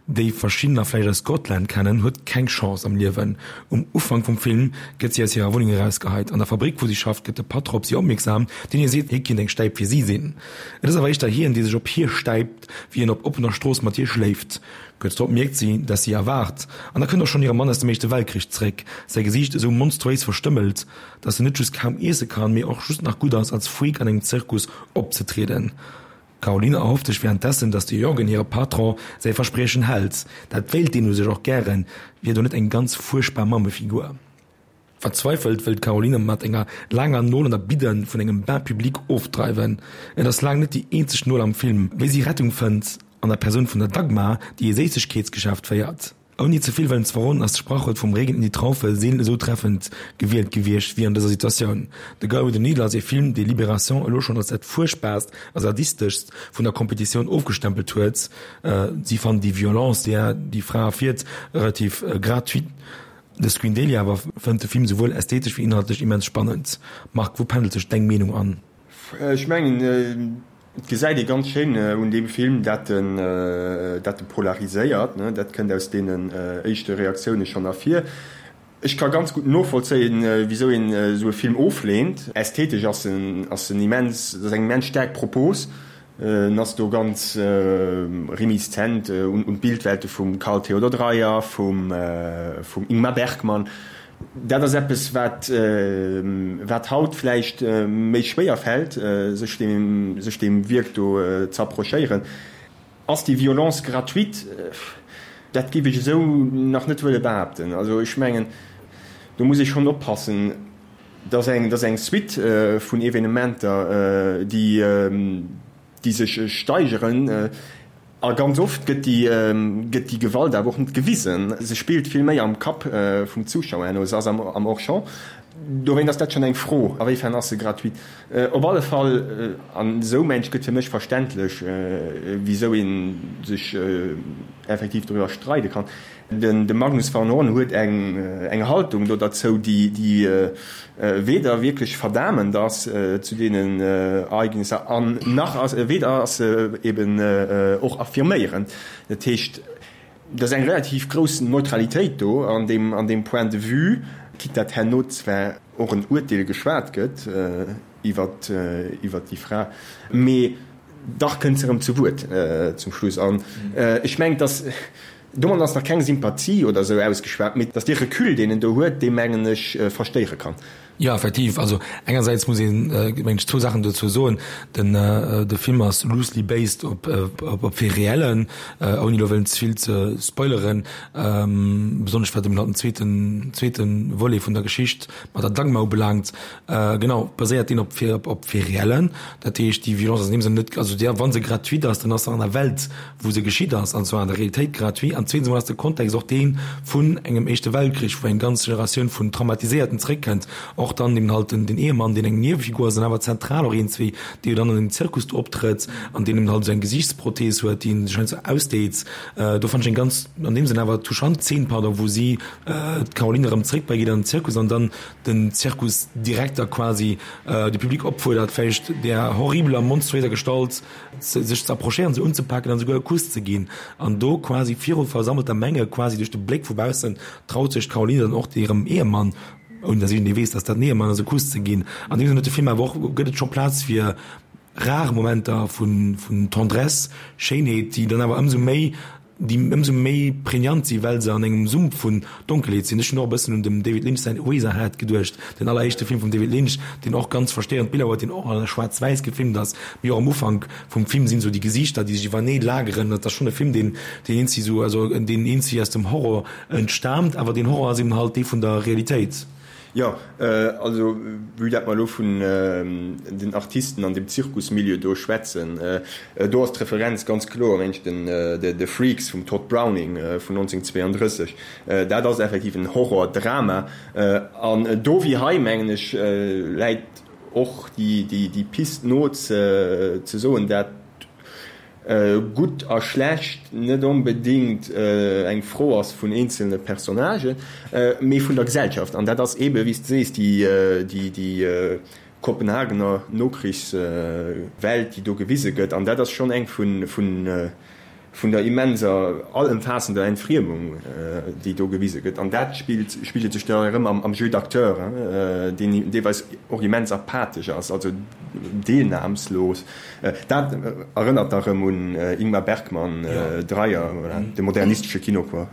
déi verschiddener vläicht aus Scotland kennen, huet keng Chance am Liewen. Um Ufank vum Film gëtt si aus hirer Wunneng erausgeheit. An der Fabrick, wou si schafft, gëtt de Patron op si opmierksam, deen hir seet, hie kinnt eng Stäip fir si sinn. Et ass awer éischter hien, dee sech op hir stäipt, wéi en op oppener Strooss mat hir schléift. Kuerz drop mierkt si, dass si erwaart, an da kënnt och schonn hire Mann aus dem Éischte Weltkrich zréck, säi Gesiicht esou monstruéis verstëmmelt, dass en net just kaum iesse kann, mee och just nach gutt ass, als Freak an engem Zirkus opzetrieden. D'Caroline erhofft sech währenddessen, dass de Jürgen, hire Patron, säi Verspriechen hält. Dat wéilt deen u sech och gären, wier do net eng ganz fuerchtbar Mammefigur. Verzweifelt wëll d'Caroline mat enger laanger Nol an der Bidde vun engem Bain public ofdreiwen. Et ass laang net déi eenzeg Nol am Film, wéi si Rettung fënnt an der Persoun vun der Dagmar, déi e Séissegkeetsgeschäft féiert. Ouni ze vill wëllen ze verroden, ass d'Sprachwuert vum Regen in die Traufe seelen esou treffend gewielt gewiescht wéi an dëser Situatioun. The Girl with the Needle ass ee Film, dee Libération elo schonn als dat fuerchtbaarst a sadisteschst vun der Kompetitioun ofgestempelt huet. Si fannen déi Violence, déi déi Fra erfiert, relativ gratuit. De Screen Daily awer fënnt de Film souwuel ästhetesch wéi inhaltlech immens spannend. Marc, wou pendelt sech deng Meenung an? Ech mengen, Et gesäit ee ganz schéin un deem Film, dat en dat e polariséiert. Dat kënnt aus deenen éischte Reaktioune schonn ervir. Ech ka ganz gutt novollzéien, wisou een esou e Film ofleent. Ästhetesch ass en ass en immens, ass eng immens staark Propos. En ass do ganz reminiszent un un d'Bildwelte vum Carl Theodor Dreyer, vum vum Ingmar Bergman. Dat ass eppes, wat, wat haut vläicht méi schwéier fält, sech deem, sech deem Wierk do ze approchéieren. Ass déi Violence gratuite? Dat géif ech esou nach net wëlle behaapten. Also ech mengen, do muss ee schonn oppassen, dat ass eng, dat ass eng Suite vun Evenementer, déi, déi sech steigeren. A ganz oft gëtt déi, gëtt déi Gewalt awer och net gewisen. Se spillt vill méi am Kapp vum Zuschauer herno. Se ass am, am Hors-champ. Dowéint ass dat schonn eng Fro, awéifern ass se gratuit. Op alle Fall, an esou mensch gëtt fir mech verständlech, wisou ee sech effektiv doriwwer streide kann. Den de Magnus van Horn huet eng eng Haltung do derzou, déi déi weder wierklech verdamend ass zu deenen Ereignisser an nach ass weder ass se eben och affirméierend. Dat heescht, et ass eng relativ grouss Neutralitéit do an deem an deem Point de vue, quitte dat herno zwar och en Urteel geschwat gëtt iwwert iwwert déi Fra, mee dach kënnt se erëm zu Wuert zum Schluss. An ech mengen, dass domat ass nach keng Sympathie oder esou ausgeschwat, mee dass dee Recul, deen en do huet, dee mengen ech verstéiere kann. Jo, effektiv. Also engersäits muss een, mengen ech, zwou Saachen dozou soen. Den, de Film ass loosely based op, op Faits réellen, ouni elo wëllen ze vill ze spoileren, besonnesch wat eben halt den zweeten, zweeten Volet vun der Geschicht mat der Dagmar ubelaangt. Genau, baséiert deen op, op Faits réellen. Dat heescht, déi Violence ass an deem Sënn net, also déi, wa se gratuit ass, dann ass se an der Welt, wou se geschitt ass, an zwar an der Realitéit gratuit. An zweetens emol ass de Kontext och dee vun engem Éischte Weltkrich, wou eng ganz Generatioun vun Traumatiséierten zréckkënnt, och dann eben halt den, den Ehemann, deen eng Niewefigur ass an awer zentral och iergendswéi, dee jo dann an dem Zirkus do optrëtt an deen eben halt esou eng Gesiichtsprothees huet, déi en sech heiansdo ausdeet. Do fand ech eng ganz, an deem Sënn awer touchant Zeen, pardon, wou si d'Caroline erëm zréckbréngt an den Zirkus an dann den Zirkusdirekter quasi de Public opfuerdert, vläicht där horribeler, monstruéiser Gestalt sech ze approchéieren, se unzepaken an esouguer e Kuss ze ginn. An do quasi viru versammelter Menge, quasi duerch de Bléck vu baussen, traut sech d'Caroline dann och hirem Ehemann, ouni datt iergendee weess, datt dat den Ehemann ass, e Kuss ze ginn. An deem Sënn huet de Film awer och, gëtt et scho Plaz fir rar Momenter vun Tendresse, Schéinheet, déi dann awer ëmsou méi déi ëmsou méi prägnant sinn, well se an engem Sump vun Donkelheet sinn. Ech hunn och e bëssen un dem David Lynch säin Eraserhead geduecht, den alleréischte Film vum David Lynch, deen och ganz verstéierend Biller huet, deen och a schwaarz-wäiss gefilmt ass. Mee och am Ufank vum Film sinn esou déi Gesiichter, déi sech iwwernee lageren. Dat ass schonn e Film, deen, deen eenzi esou, also deen eenzi aus dem Horror entstaamt, awer deen Horror ass eben halt dee vun der Realitéit. Jo, also vue dat mer elo vun den Artisten an dem Zirkusmilieu do schwätzen, do ass d'Referenz ganz kloer mensch den The Freaks vum Tod Browning vun nonzénhunnertzweeandrësseg. Dat ass effektiv en Horrordrama an do wéi hei, mengen ech, läit och déi Pist no ze soen, dat gutt a schlecht net onbedéngt eng Fro ass vun eenzelne Personnagen, mee vun der Gesellschaft. An dat ass eebe, wéi s de sees, déi Kopenhagener Nokrichswelt, déi do gewise gëtt. An dat ass schonn eng vun vun der immenser, allëmfaassender Entfriemung, déi do gewise gëtt. An dat spillt, spigelt sech da erëm am Jeu d'acteur, deen deelweis och immens apathesch ass, also deelnahmslos. Dat erënnert da erëm un Ingmar Bergman, Dreyer, voilà, de modernistesche Kino, quoi.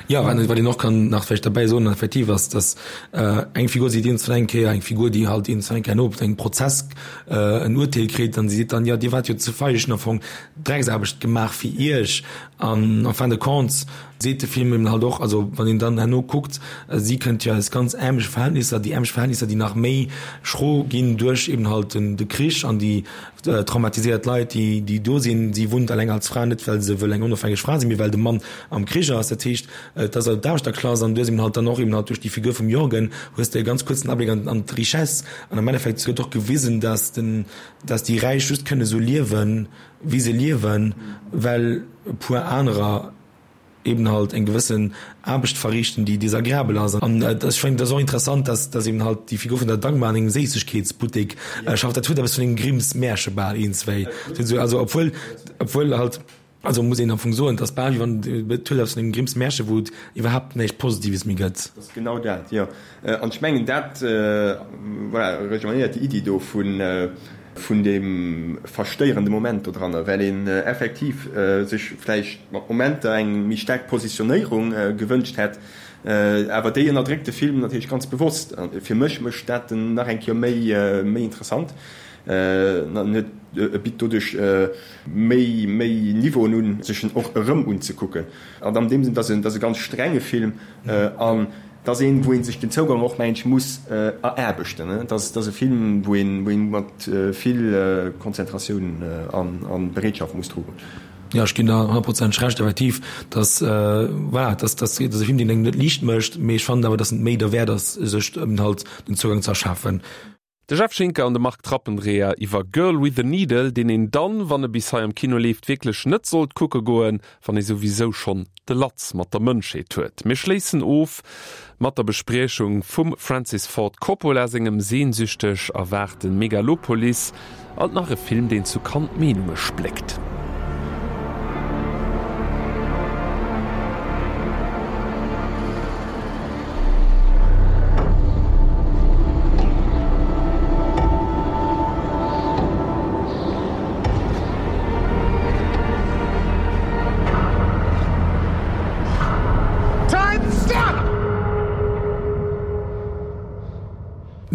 Jo, wat een och kann nach vläicht derbäi soen, effektiv ass, dass eng Figur seet iergendwann eng Kéier, eng Figur, déi halt iergendwann eng Kéier no engem Prozess en Urteel kritt, an si seet dann, jo, Dir waart jo ze feig, ech hunn am Fong Drecksaarbecht gemaach fir Iech. An en fin de compte seet de Film eben halt och, also wann een dann herno kuckt, si kënnt jo aus ganz ärmleche Verhältnisser, déi ärmlech Verhältnisser, déi nach méi schro ginn duerch eben halt den de Krich an déi traumatiséiert Leit, déi déi do sinn. Si wunnt eleng als Fra, net well se wëll eng onofhängeg Fra sinn, mee well de Mann am Krich ass. Dat heescht, et ass d'Aarbechterklass an du hues eben halt dann och eben halt duerch déi Figur vum Jorgen hues de e ganz kuerzen Abléck an an d'Richesse an am Endeffekt gëtt och gewisen, dass den dass déi Räich just kënne sou liewen, wéi se liewen, well e puer anerer eben halt eng gewëssen Aarbecht verriichten, déi desagreabel ass. An ech fannen, dat ass och interessant, dass dass eben halt déi Figur vun der Dagmar an engem Séissegkeetsbuttek schafft. Dat huet eppes vun engem Grimms Märche bal eenzwéi. Also obwuel obwuel halt, also muss een am Fong soen, et ass bal wéi wann, et huet eppes vun engem Grimms Märche, wou et iwwerhaapt näischt Positives méi gëtt. Dat ass genau dat, jo. An ech mengen, dat, voilà, rejoignéiert déi Iddi do vun, vun deem verstéierende Moment dodranner, well een effektiv sech vläicht mat Momenter eng méi staark Positionéierung gewënscht hätt. Awer déi ënnerdréckt de Film natierlech ganz bewosst. Fir mech mécht dat en nach eng Kéier méi, méi interessant. En huet, e bitt doduerch méi, méi Niveauen un, sech en och erëm unzekucken. An an deem Sënn, et ass e, et ass e ganz strenge Film an et ass een, wou ee sech den Zougang och, mengen ech, muss eraarbechten. Et ass, et ass e Film, wou een, wou een mat vill Konzentratioun an, an Bereetschaft muss dru goen. Jo, ech ginn der honnertprozenteg Recht, effektiv, dass, voilà, dass, dass, dass e Film, deen engem net liicht mécht, mee ech fannen awer, dass en et méi derwäert ass, sech eben halt den Zougang ze erschafen. De Jeff Schinker an de Marc Trappendreher iwwer Girl with the Needle, deen een dann, wann e bis hei am Kino leeft, wierklech net sollt kucke goen, wann ee souwisou schonn de Latz mat der Mënschheet huet. Mir schléissen of mat der Bespriechung vum Francis Ford Coppola sengem sehnsüchteg erwaarte Megalopolis, alt nach e Film, deen zu Cannes d'Meenunge spléckt.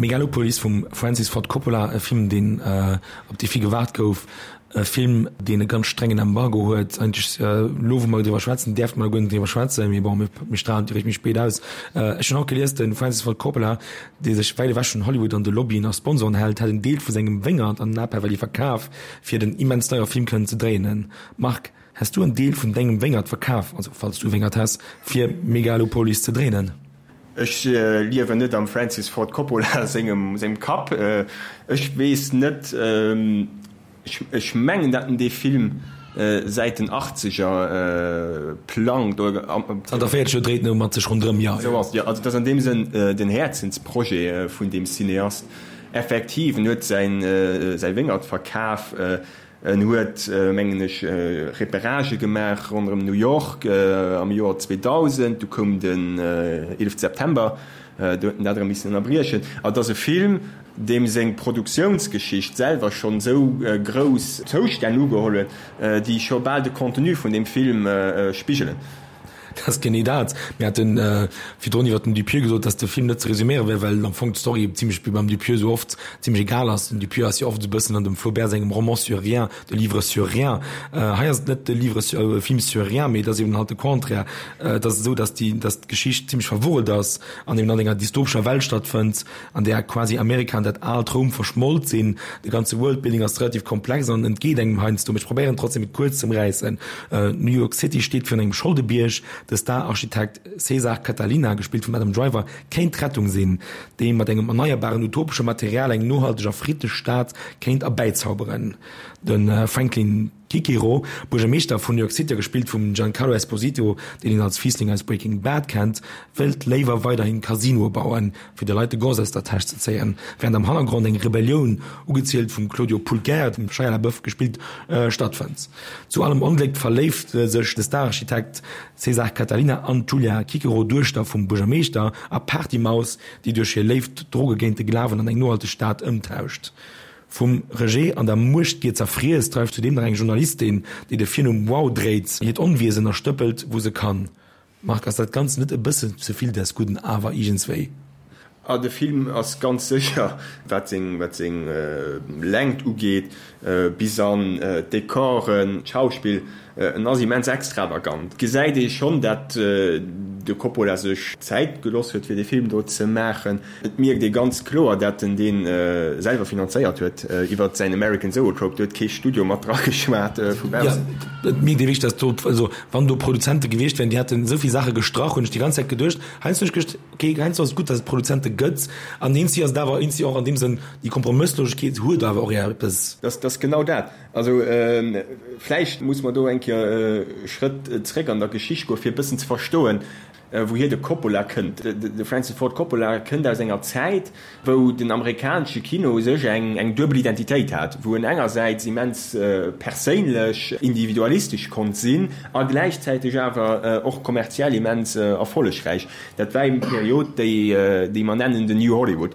Megalopolis vum Francis Ford Coppola, e Film, deen, op dee vill gewaart gouf, e Film, deen e ganz strengen Embargo huet. Eigentlech, elo wou mer driwwer schwätzen, däerfte mer guer net driwwer schwätzen, mee bon, mir strahlen et eréischt méi spéit aus. Ech hunn haut gelies, de Francis Ford Coppola, dee sech wäit ewech vun Hollywood an de Lobbyen a Sponsoren hält, hätt en Deel vu sengem Wéngert an Napa Valley verkaf, fir den immens deiere Film kënnen ze dréinen. Marc, häss du en Deel vun dengem Wéngert verkaf, also falls du e Wéngert häss, fir Megalopolis ze dréinen? Ech liewen net am Francis Ford Coppola sengem Kapp. Ech weess net, ech mengen, datt en dee Film säit den Achtzeger plangt. Zanter véierzeg Joer dréit en mat sech ronderëm, jo. Esou ass et, jo. Also et ass an deem Sënn den Häerzensprojet vun deem Cineast. Effektiv, en huet säi Wéngert verkaf. En huet, mengen ech, Repéragë gemaach ronderëm New York am Joer zweedausend. Du koum den eelefte September, do huet en dat erëm missen ënnerbriechen. Et ass e Film, deem seng Produktiounsgeschicht selwer schonn esou grouss Zoustänn ugeholl huet, déi scho bal de Contenu vun deem Film spigelen. Dat ass genee dat. Mir hate virdrun iwwer den Dupieux gesot, dass de Film net ze resuméiere wär, well am Fong d'Story zimlech, wéi beim Dupieux esou oft, zimlech egal ass. Den Dupieux ass jo oft esou e bëssen an dem Flaubert sengem Roman sur rien, de livre sur rien. Hei ass et net de livre sur, e Film sur rien, mee et ass eben halt de Contraire. Et ass esou, dass déi, dass d'Geschicht zimlech verwurrelt ass an eben an enger dystopescher Welt stattfënnt, an där quasi Amerika an dat aalt Roum verschmolt sinn. De ganze Worldbuilding ass relativ komplex an entgeet engem heiansdo, mee ech probéieren trotzdem et kuerz z'ëmräissen. New York City steet virun engem Scholdebierg. De Star-Architekt Cesar Catilina, gespillt vum Adam Driver, kéint d'Rettung sinn, déi mat engem erneierbaren utopesche Material eng nohalteg a friddlech Stad kéint erbäizauberen. De Franklin Cicero, Buergermeeschter vun New York City a gespillt vum Giancarlo Esposito, deen een als Fiissling aus Breaking Bad kennt, wëllt léiwer weiderhin Casinoe bauen, fir de Leit de Goss aus der Täsch ze zéien, wärend am Hannergrond eng Rebellioun, ugezielt vum Claudio Pulcher, dem Shia LaBeouf gespillt, stattfënnt. Zu allem Ongléck verléift sech de Stararchitekt Cesar Catilina an d'Julia Cicero, Duechter vum Buergermeeschter a Partymaus, déi duerch hir Léift d'Droge géint de Glawen an eng nohalteg Stad ëmtauscht. Vum Rejet an der Muechtgier zerfriess, dreift zudeem nach eng Journalistin, déi de Virnumm Wow dréit, hiert Onwiesen a stëppelt, wou se kann. Marc, ass dat Ganzt net e bëssen ze vill des Gudden awer iergendswéi? Ah, de Film ass ganz sécher, wat seng, wat seng Längt ugeet, bis an d'Dekoren, d'Schauspill, en ass immens extravagant. Et gesäit ee schonn, dat de Coppola sech Zäit geloss huet, fir dee Film do ze maachen. Et mierkt ee ganz kloer, dat en dee selwer finanzéiert huet iwwer säin American Zoetrope. Do huet kee Studio mat dra geschwat vu baussen. Jo, et mierkt ee wierklech, dat do, also wann do Produzente gewiescht wären, déi hätten esou vill Saache gestrach, hunn ech déi ganz Zäit geduecht. Heiansdo hunn ech geduecht, ok, heiansdo ass et gutt, datt et Produzente gëtt an eenzi ass et awer eenzi och an deem Sënn, déi Kompromësslosegkeet huet awer och eppes. Dat ass genau dat. Also vläicht muss mer do eng Kéier e Schrëtt zréck an der Geschicht goen, fir e bëssen ze verstoen, wouhier de Coppola kënnt. De Francis Ford Coppola kënnt aus enger Zäit, wou den amerikanesche Kino u sech eng duebel Identitéit hat, wou en engersäits immens perséinlech, individualistesch konnt sinn a gläichzäiteg awer och kommerziell immens erfollegräich. Dat war eben d'Period, déi mer nennen den New Hollywood.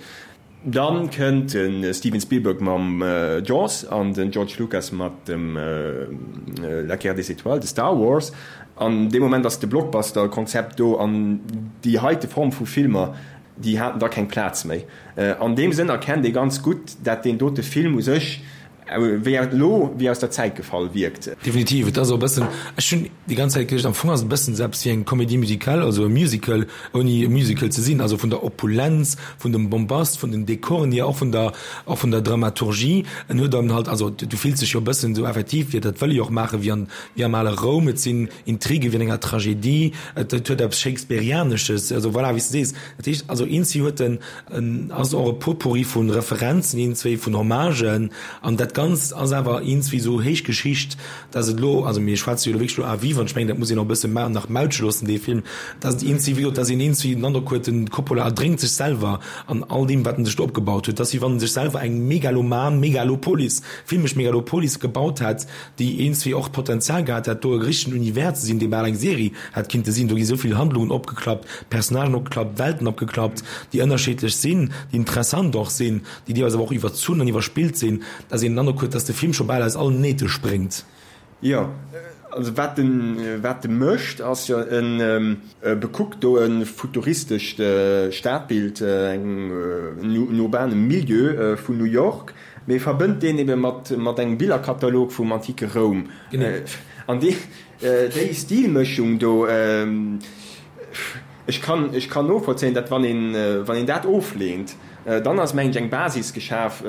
Dann kënnt de Steven Spielberg mam Jaws an den George Lucas mat dem La Guerre des Étoiles, de Star Wars. An dee Moment ass de Blockbuster-Konzept do an déi heite Form vu Filmer, déi haten da keng Plaz méi. An deem Sënn erkennt ee ganz gutt, dat deen dote Film u sech wéi elo wéi aus der Zäit gefall wierkt. Definitiv, et ass och e bëssen, ech hunn déi ganz Zäit geduecht, am Fong ass et e bëssen esou eppes wéi eng Comédie musicale, also e Musical ouni e Musical ze sinn, also vun der Opulenz, vun dem Bombast, vun den Dekoren hier, och vun der, och vun der Dramaturgie. En huet dann halt, also du fills dech jo e bëssen esou effektiv, wéi dat wëll e jo och maachen, wéi an, wéi am ale Roum, et sinn Intrige wéi an enger Tragedie, et huet eppes Shakespearianesches, also voilà, wéi s de sees. Dat heescht also, eenzi huet en, en ass och e Potpourri vu Referenzen, een, zwee vun Hommagen, an dat Ganzt ass awer eenzi esou héich Geschicht, dass et elo, also mir schwätze jo elo wierklech elo à vivre, an ech mengen, dat muss een och e bësse nach mautsche loossen, dee Film, dass et eenzi, wéi gesot, dass een eenzi den Androck huet, den Coppola erdrénkt sech selwer an all deem, wat en sech do opgebaut huet, dass wéi wann en sech selwer eng megaloman Megalopolis, filmesch Megalopolis gebaut hätt, déi eenzi och d'Potenzial gehat hätt, do e richtegen Univers ze sinn, dee bal eng Serie hätt kinnte sinn. Do gi sou vill Handlungen opgeklappt, Personnagen opgeklappt, Welten opgeklappt, déi ënnerschiddlech sinn, déi interessant och sinn, déi deelweis awer och iwwerzunn an iwwerspillt sinn, dass een den Androck huet, dass de Film scho bal aus allen Nähte spréngt. Jo, also wat en, wat e mécht, ass jo, en bekuckt do e futuristescht Stadbild, eng, en urbane Milieu vun New York, mee verbënnt deen ebe mat, mat engem Billerkatalog vum antike Roum. An déi, déi Stilmëschung do, ech kann, ech kann novollzéien, datt wann een, wann een dat ofleent, dann ass, mengen ech, eng Basis geschaf,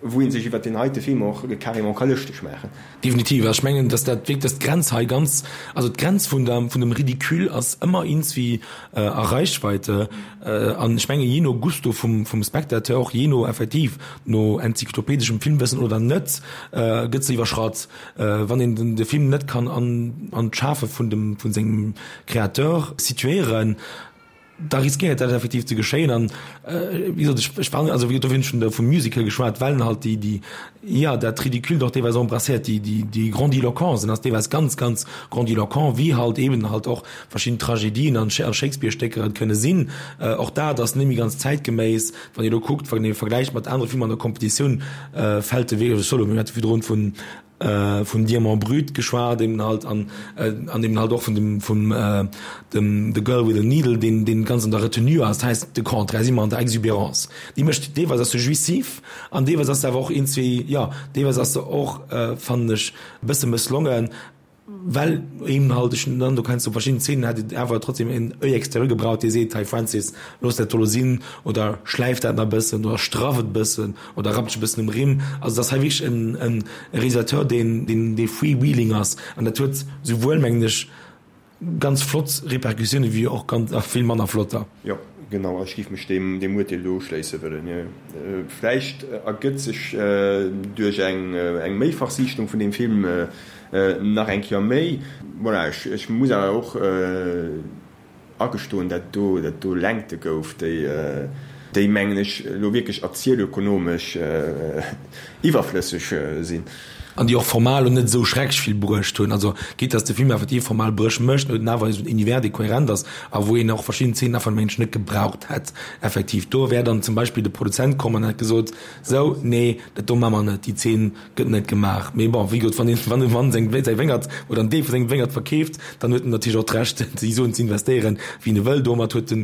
wou ee sech iwwert deen heite Film och carrément ka lëschteg maachen. Definitiv. Ech mengen, datt dat wierklech, datt d'Grenz hei ganz, also d'Grenz vun der, vun dem Ridicule ass ëmmer iergendwéi a Reichweite. An ech mengen, jee no Gusto vum, vum Spectateur, och jee no effektiv no enzyklopedeschem Filmwëssen oder net, gëtt se iwwerschratt. Wann een den, de Film net kann an, an d'Schafe vun dem, vun sengem Créateur situéieren, da riskéiert dat effektiv ze geschéien. An wéi gesot, ech, ech war, also wéi gesot, dofir hunn ech vun, vum Musical geschwat, well en halt déi, déi, jo, dat Ridicule och deelweis embrasséiert, déi, déi, déi Grandiloquence, en ass deelweis ganz, ganz grandiloquent, wéi halt eben halt och verschidden Tragedien an a Shakespeare-Stécker et kënne sinn. Och dat ass net méi ganz zäitgeméiss, wann ee elo kuckt, wann ee vergläicht mat anere Filmer an der Kompetitioun, fält de wierklech solo. Mir hate virdrun vun vum Diamant brut geschwat eben halt an an eben halt och vun dem vum dem The Girl with the Needle, deen deen ganz an der Retenue ass, dat heisst de Contraire si mer an der Exubérance. Déi mécht deelweis ass se jouissif an deelweis ass se awer och iergendwéi, jo, deelweis ass se och, fannen ech, e bësse mësslongen, well eben halt ech dann do kenns du verschidden Szenen hätt et awer trotzdem en Oeil extérieur gebraucht, dee seet, hei Francis, looss dat do elo sinn oder schläif dat nach e bëssen oder straff et e bëssen oder rapp dech e bëssen um Rimm. Also et ass hei wierklech en en Realisateur, deen deen dee freewheeling ass an dat huet souwuel, mengen ech, ganz flott Repercussioune wéi och ganz a vill manner flotter. Jo, genau, ech géif mech deem deem Urteel do uschléisse wëllen. Jo, vläicht ergëtt sech duerch eng eng Méifachsiichtung vun deem Film nach eng Kéier méi. Voilà, ech ech muss awer och agestoen, dat do dat do Längte gouf, déi déi mengen ech elo wierklech erzielökonomesch iwwerflësseg sinn. An déi och formal elo net esou schrecklech vill bruecht hunn. Also quitte dass de Film effektiv formal Bréch mécht, huet en awer esou en Univers, dee kohärent ass a wou een och verschidden Zeenen einfach mengen ech net gebraucht hätt. Effektiv, do wär dann zum Beispill de Produzent komm an hätt gesot, sou, nee, dat do maache mer net, déi Zeen gëtt net gemaach. Mee bon, wéi gesot, wann een, wann e Mann seng, säi Wéngert oder en Deel vu sengem Wéngert verkeeft, dann huet en natierlech och d'Recht, déi Suen ze investéieren, wéi en e wëll. Domat huet de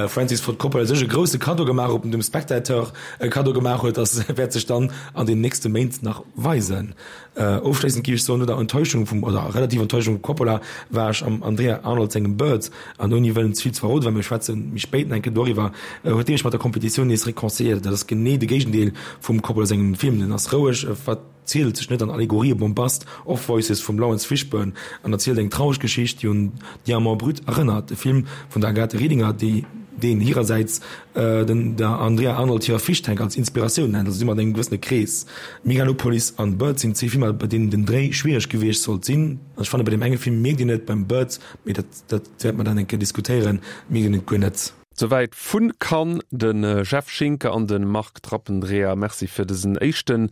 Francis Ford Coppola sech e grousse Kaddo gemaach. Ob en dem Spectateur e Kaddo gemaach huet, ass, wäert sech dann an den nächste Méint nach weisen. Ofschléissend géif ech soen, no der Enttäuschung vum, oder relativer Enttäuschung vum Coppola, war ech am Andrea Arnold sengem Birds, an ouni wëllen ze vill ze verroden, well mir schwätze méi spéit nach eng Kéier doriwwer, huet dee mech mat der Kompetitioun nees réconciliéiert. Dat ass genee de Géigendeel vum Coppola sengem Film. Den ass roueg, e verzielt sech net an Allegorië, Bombast, Off-Voices vum Laurence Fishburne an erzielt eng traureg Geschicht, déi un Diamant brut erënnert, de Film vun der Agathe Riedinger, déi deen hirersäits den der Andrea Arnold hirer Fish Tank als Inspiratioun nennt, also si mat engem gewëssene Krees. Megalopolis an Birds sinn zwee Filmer, bei deenen den Dréi schwiereg gewiescht sollt sinn. Ech fanne bei deem enge Film mierkt een et, beim Birds, mee dat dat wäerte mer dann eng Kéier diskutéieren, mierkt een et guer net. Souwäit vu Cannes de Jeff Schinker an de Marc Trappendreher. Merci fir dësen éischten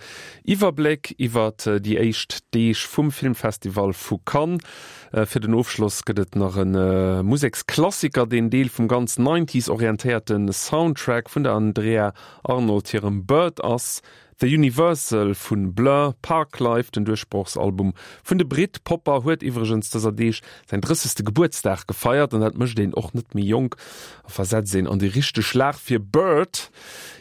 Iwwerbléck iwwer déi éischt Deeg vum Filmfestival vu Cannes. Fir den Ofschloss gëtt et nach e Museksklassiker, deen Deel vum ganz Nineties orientéierte Soundtrack vun der Andrea Arnold hirem Bird ass. The Universal vun Blur, Parklife, den Duerchbrochsalbum vun de Britpopper, huet iwwregens dëser Deeg säin drëssegste Gebuertsdag gefeiert an dat mécht een och net méi jonk a versetzt een an déi richteg Lag fir Bird,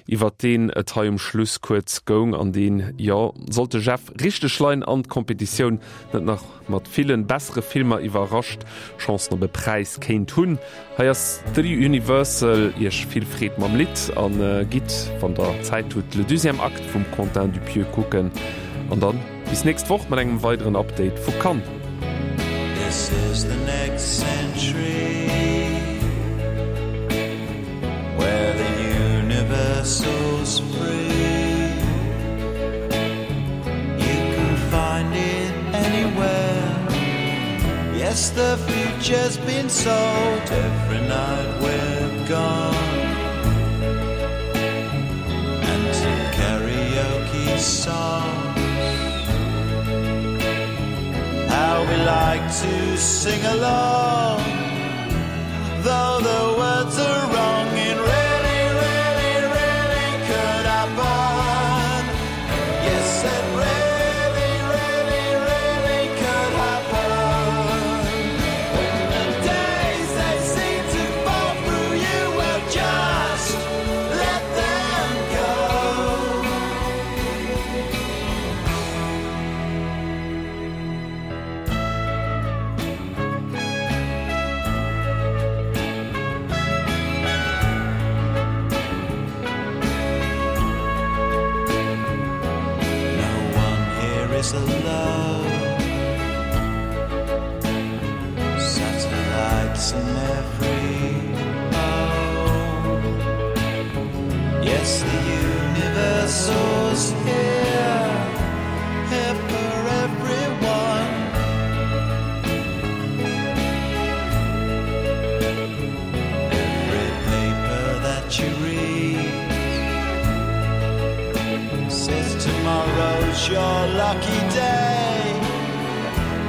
iwwer deen et hei um Schluss kuerz goung an deen, jo, sollt de Jeff richteg leien an d'Kompetitioun net nach mat villen bessere Filmer iwwerrascht, Chancen op e Präis kéint hunn. Hei ass The Universal, Iech vill Freed mam Lidd an gitt, wann der Zäit hutt, Le deuxième acte vum Quentin Dupieux kucken. An dann bis nächst Woch mat engem weideren Update vu Cannes. This is the next century Where the universal's free You can find it anywhere Yes, the future's been sold Every night we're gone And to karaoke songs How we like to sing along Though the words are wrong It really, really, really could happen Yes, it really, really, really could happen When the days they seem to fall through you Well, just let them go No one here is alone Satellites in every home Yes, the universal's here Here for everyone Every paper that you read Says tomorrow's your lucky day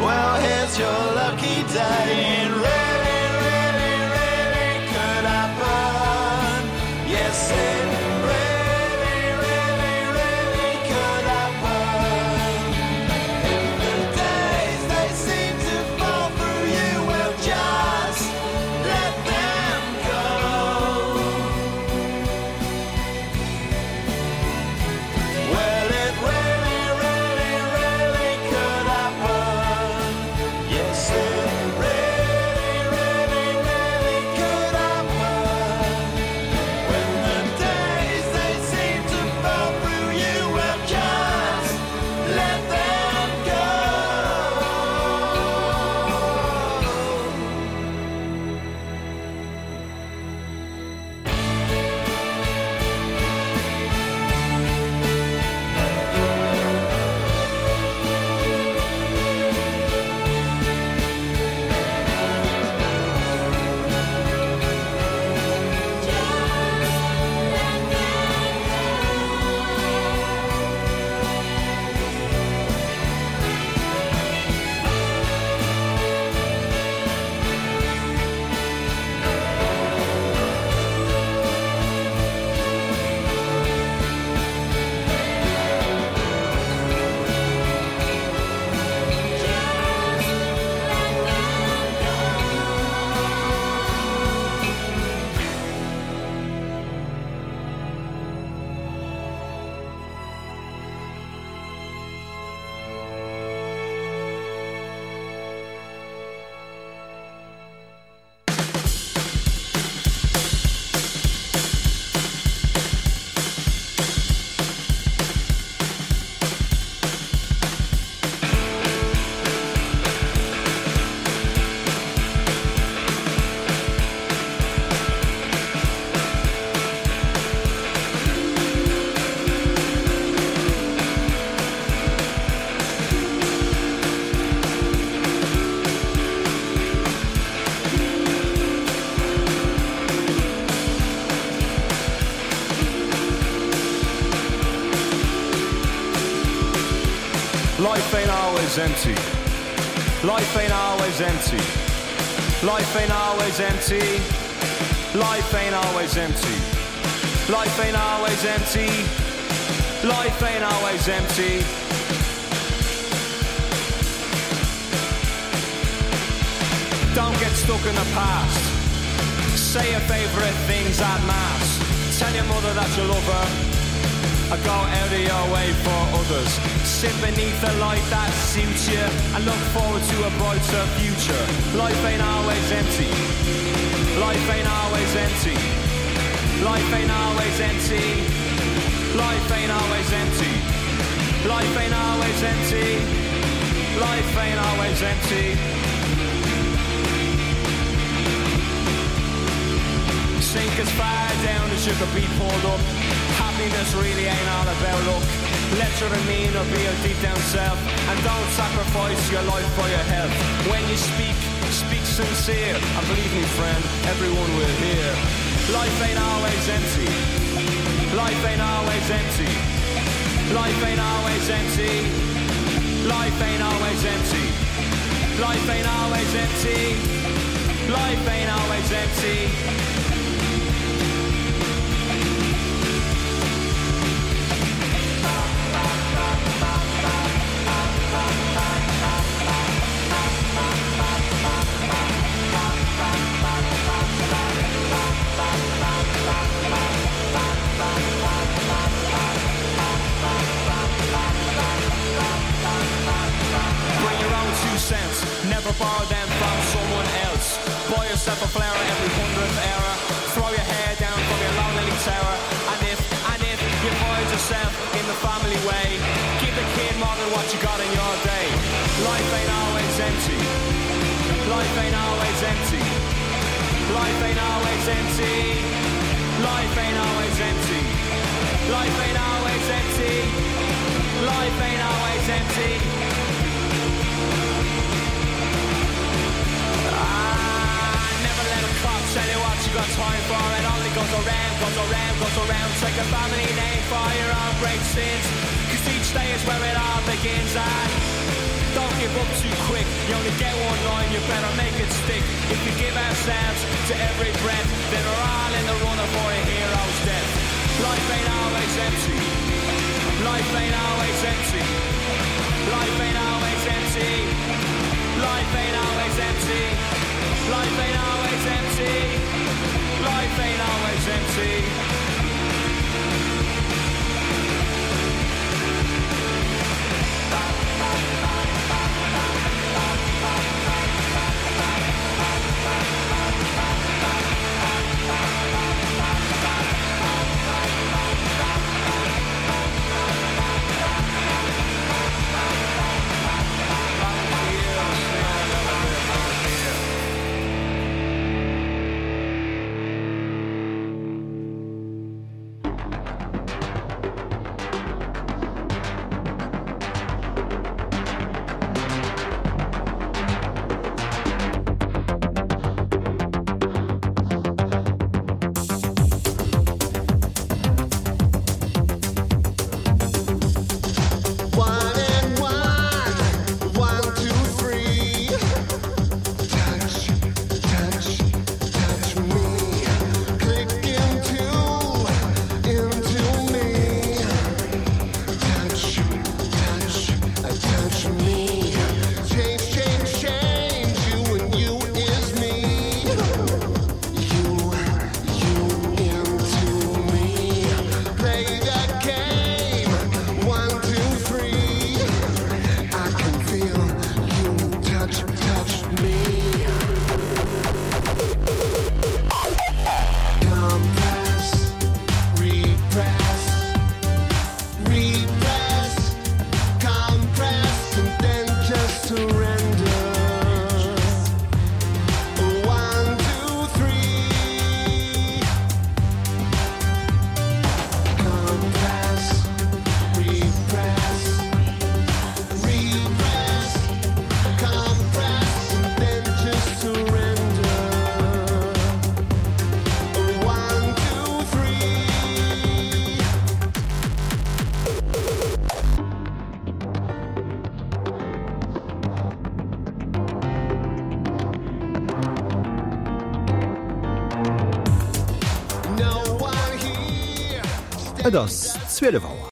Well, here's your lucky day It really, really, really could happen Yes, it really, really, really could happen If the days they seem to fall through you Well, just let them go Well, it really, really, really could happen. Yes, it really, Life ain't always empty. Life ain't always empty. Life ain't always empty. Life ain't always empty. Life ain't always empty. Life ain't always empty. Don't get stuck in the past. Say your favorite things at mass. Tell your mother that you love her. I go out of your way for others. Sit beneath the light that suits you and look forward to a brighter future. Life ain't always empty. Life ain't always empty. Life ain't always empty. Life ain't always empty. Life ain't always empty. Life ain't always empty. Sink as far down as you could be pulled up. Happiness really ain't all about luck. Let your demeanor be your deep down self and don't sacrifice your life for your health. When you speak, speak sincere and believe me friend, everyone will hear. Life ain't always empty. Life ain't always empty. Life ain't always empty. Life ain't always empty. Life ain't always empty. Life ain't always empty. Bring your own two cents, never borrow them from someone else. Buy yourself a flower every hundredth hour. Throw your hair down from your lonely tower. And if, and if you find yourself in the family way, give the kid more than what you got in your day. Life ain't always empty. Life ain't always empty. Life ain't always empty. Life ain't always empty. Life ain't always empty. Life ain't always empty. Ah, never let a clock tell you what you got time for. It only goes around, goes around, goes around. Take a family name for your own great sins. Cause each day is where it all begins. And don't give up too quick. You only get one line, you better make it stick. If we give ourselves to every breath, then we're all in the running for a hero's death. Life ain't always empty. Life ain't always empty. Life ain't always empty. Life ain't always empty. Life ain't always empty. Life ain't always empty. Et ass zwielef Auer.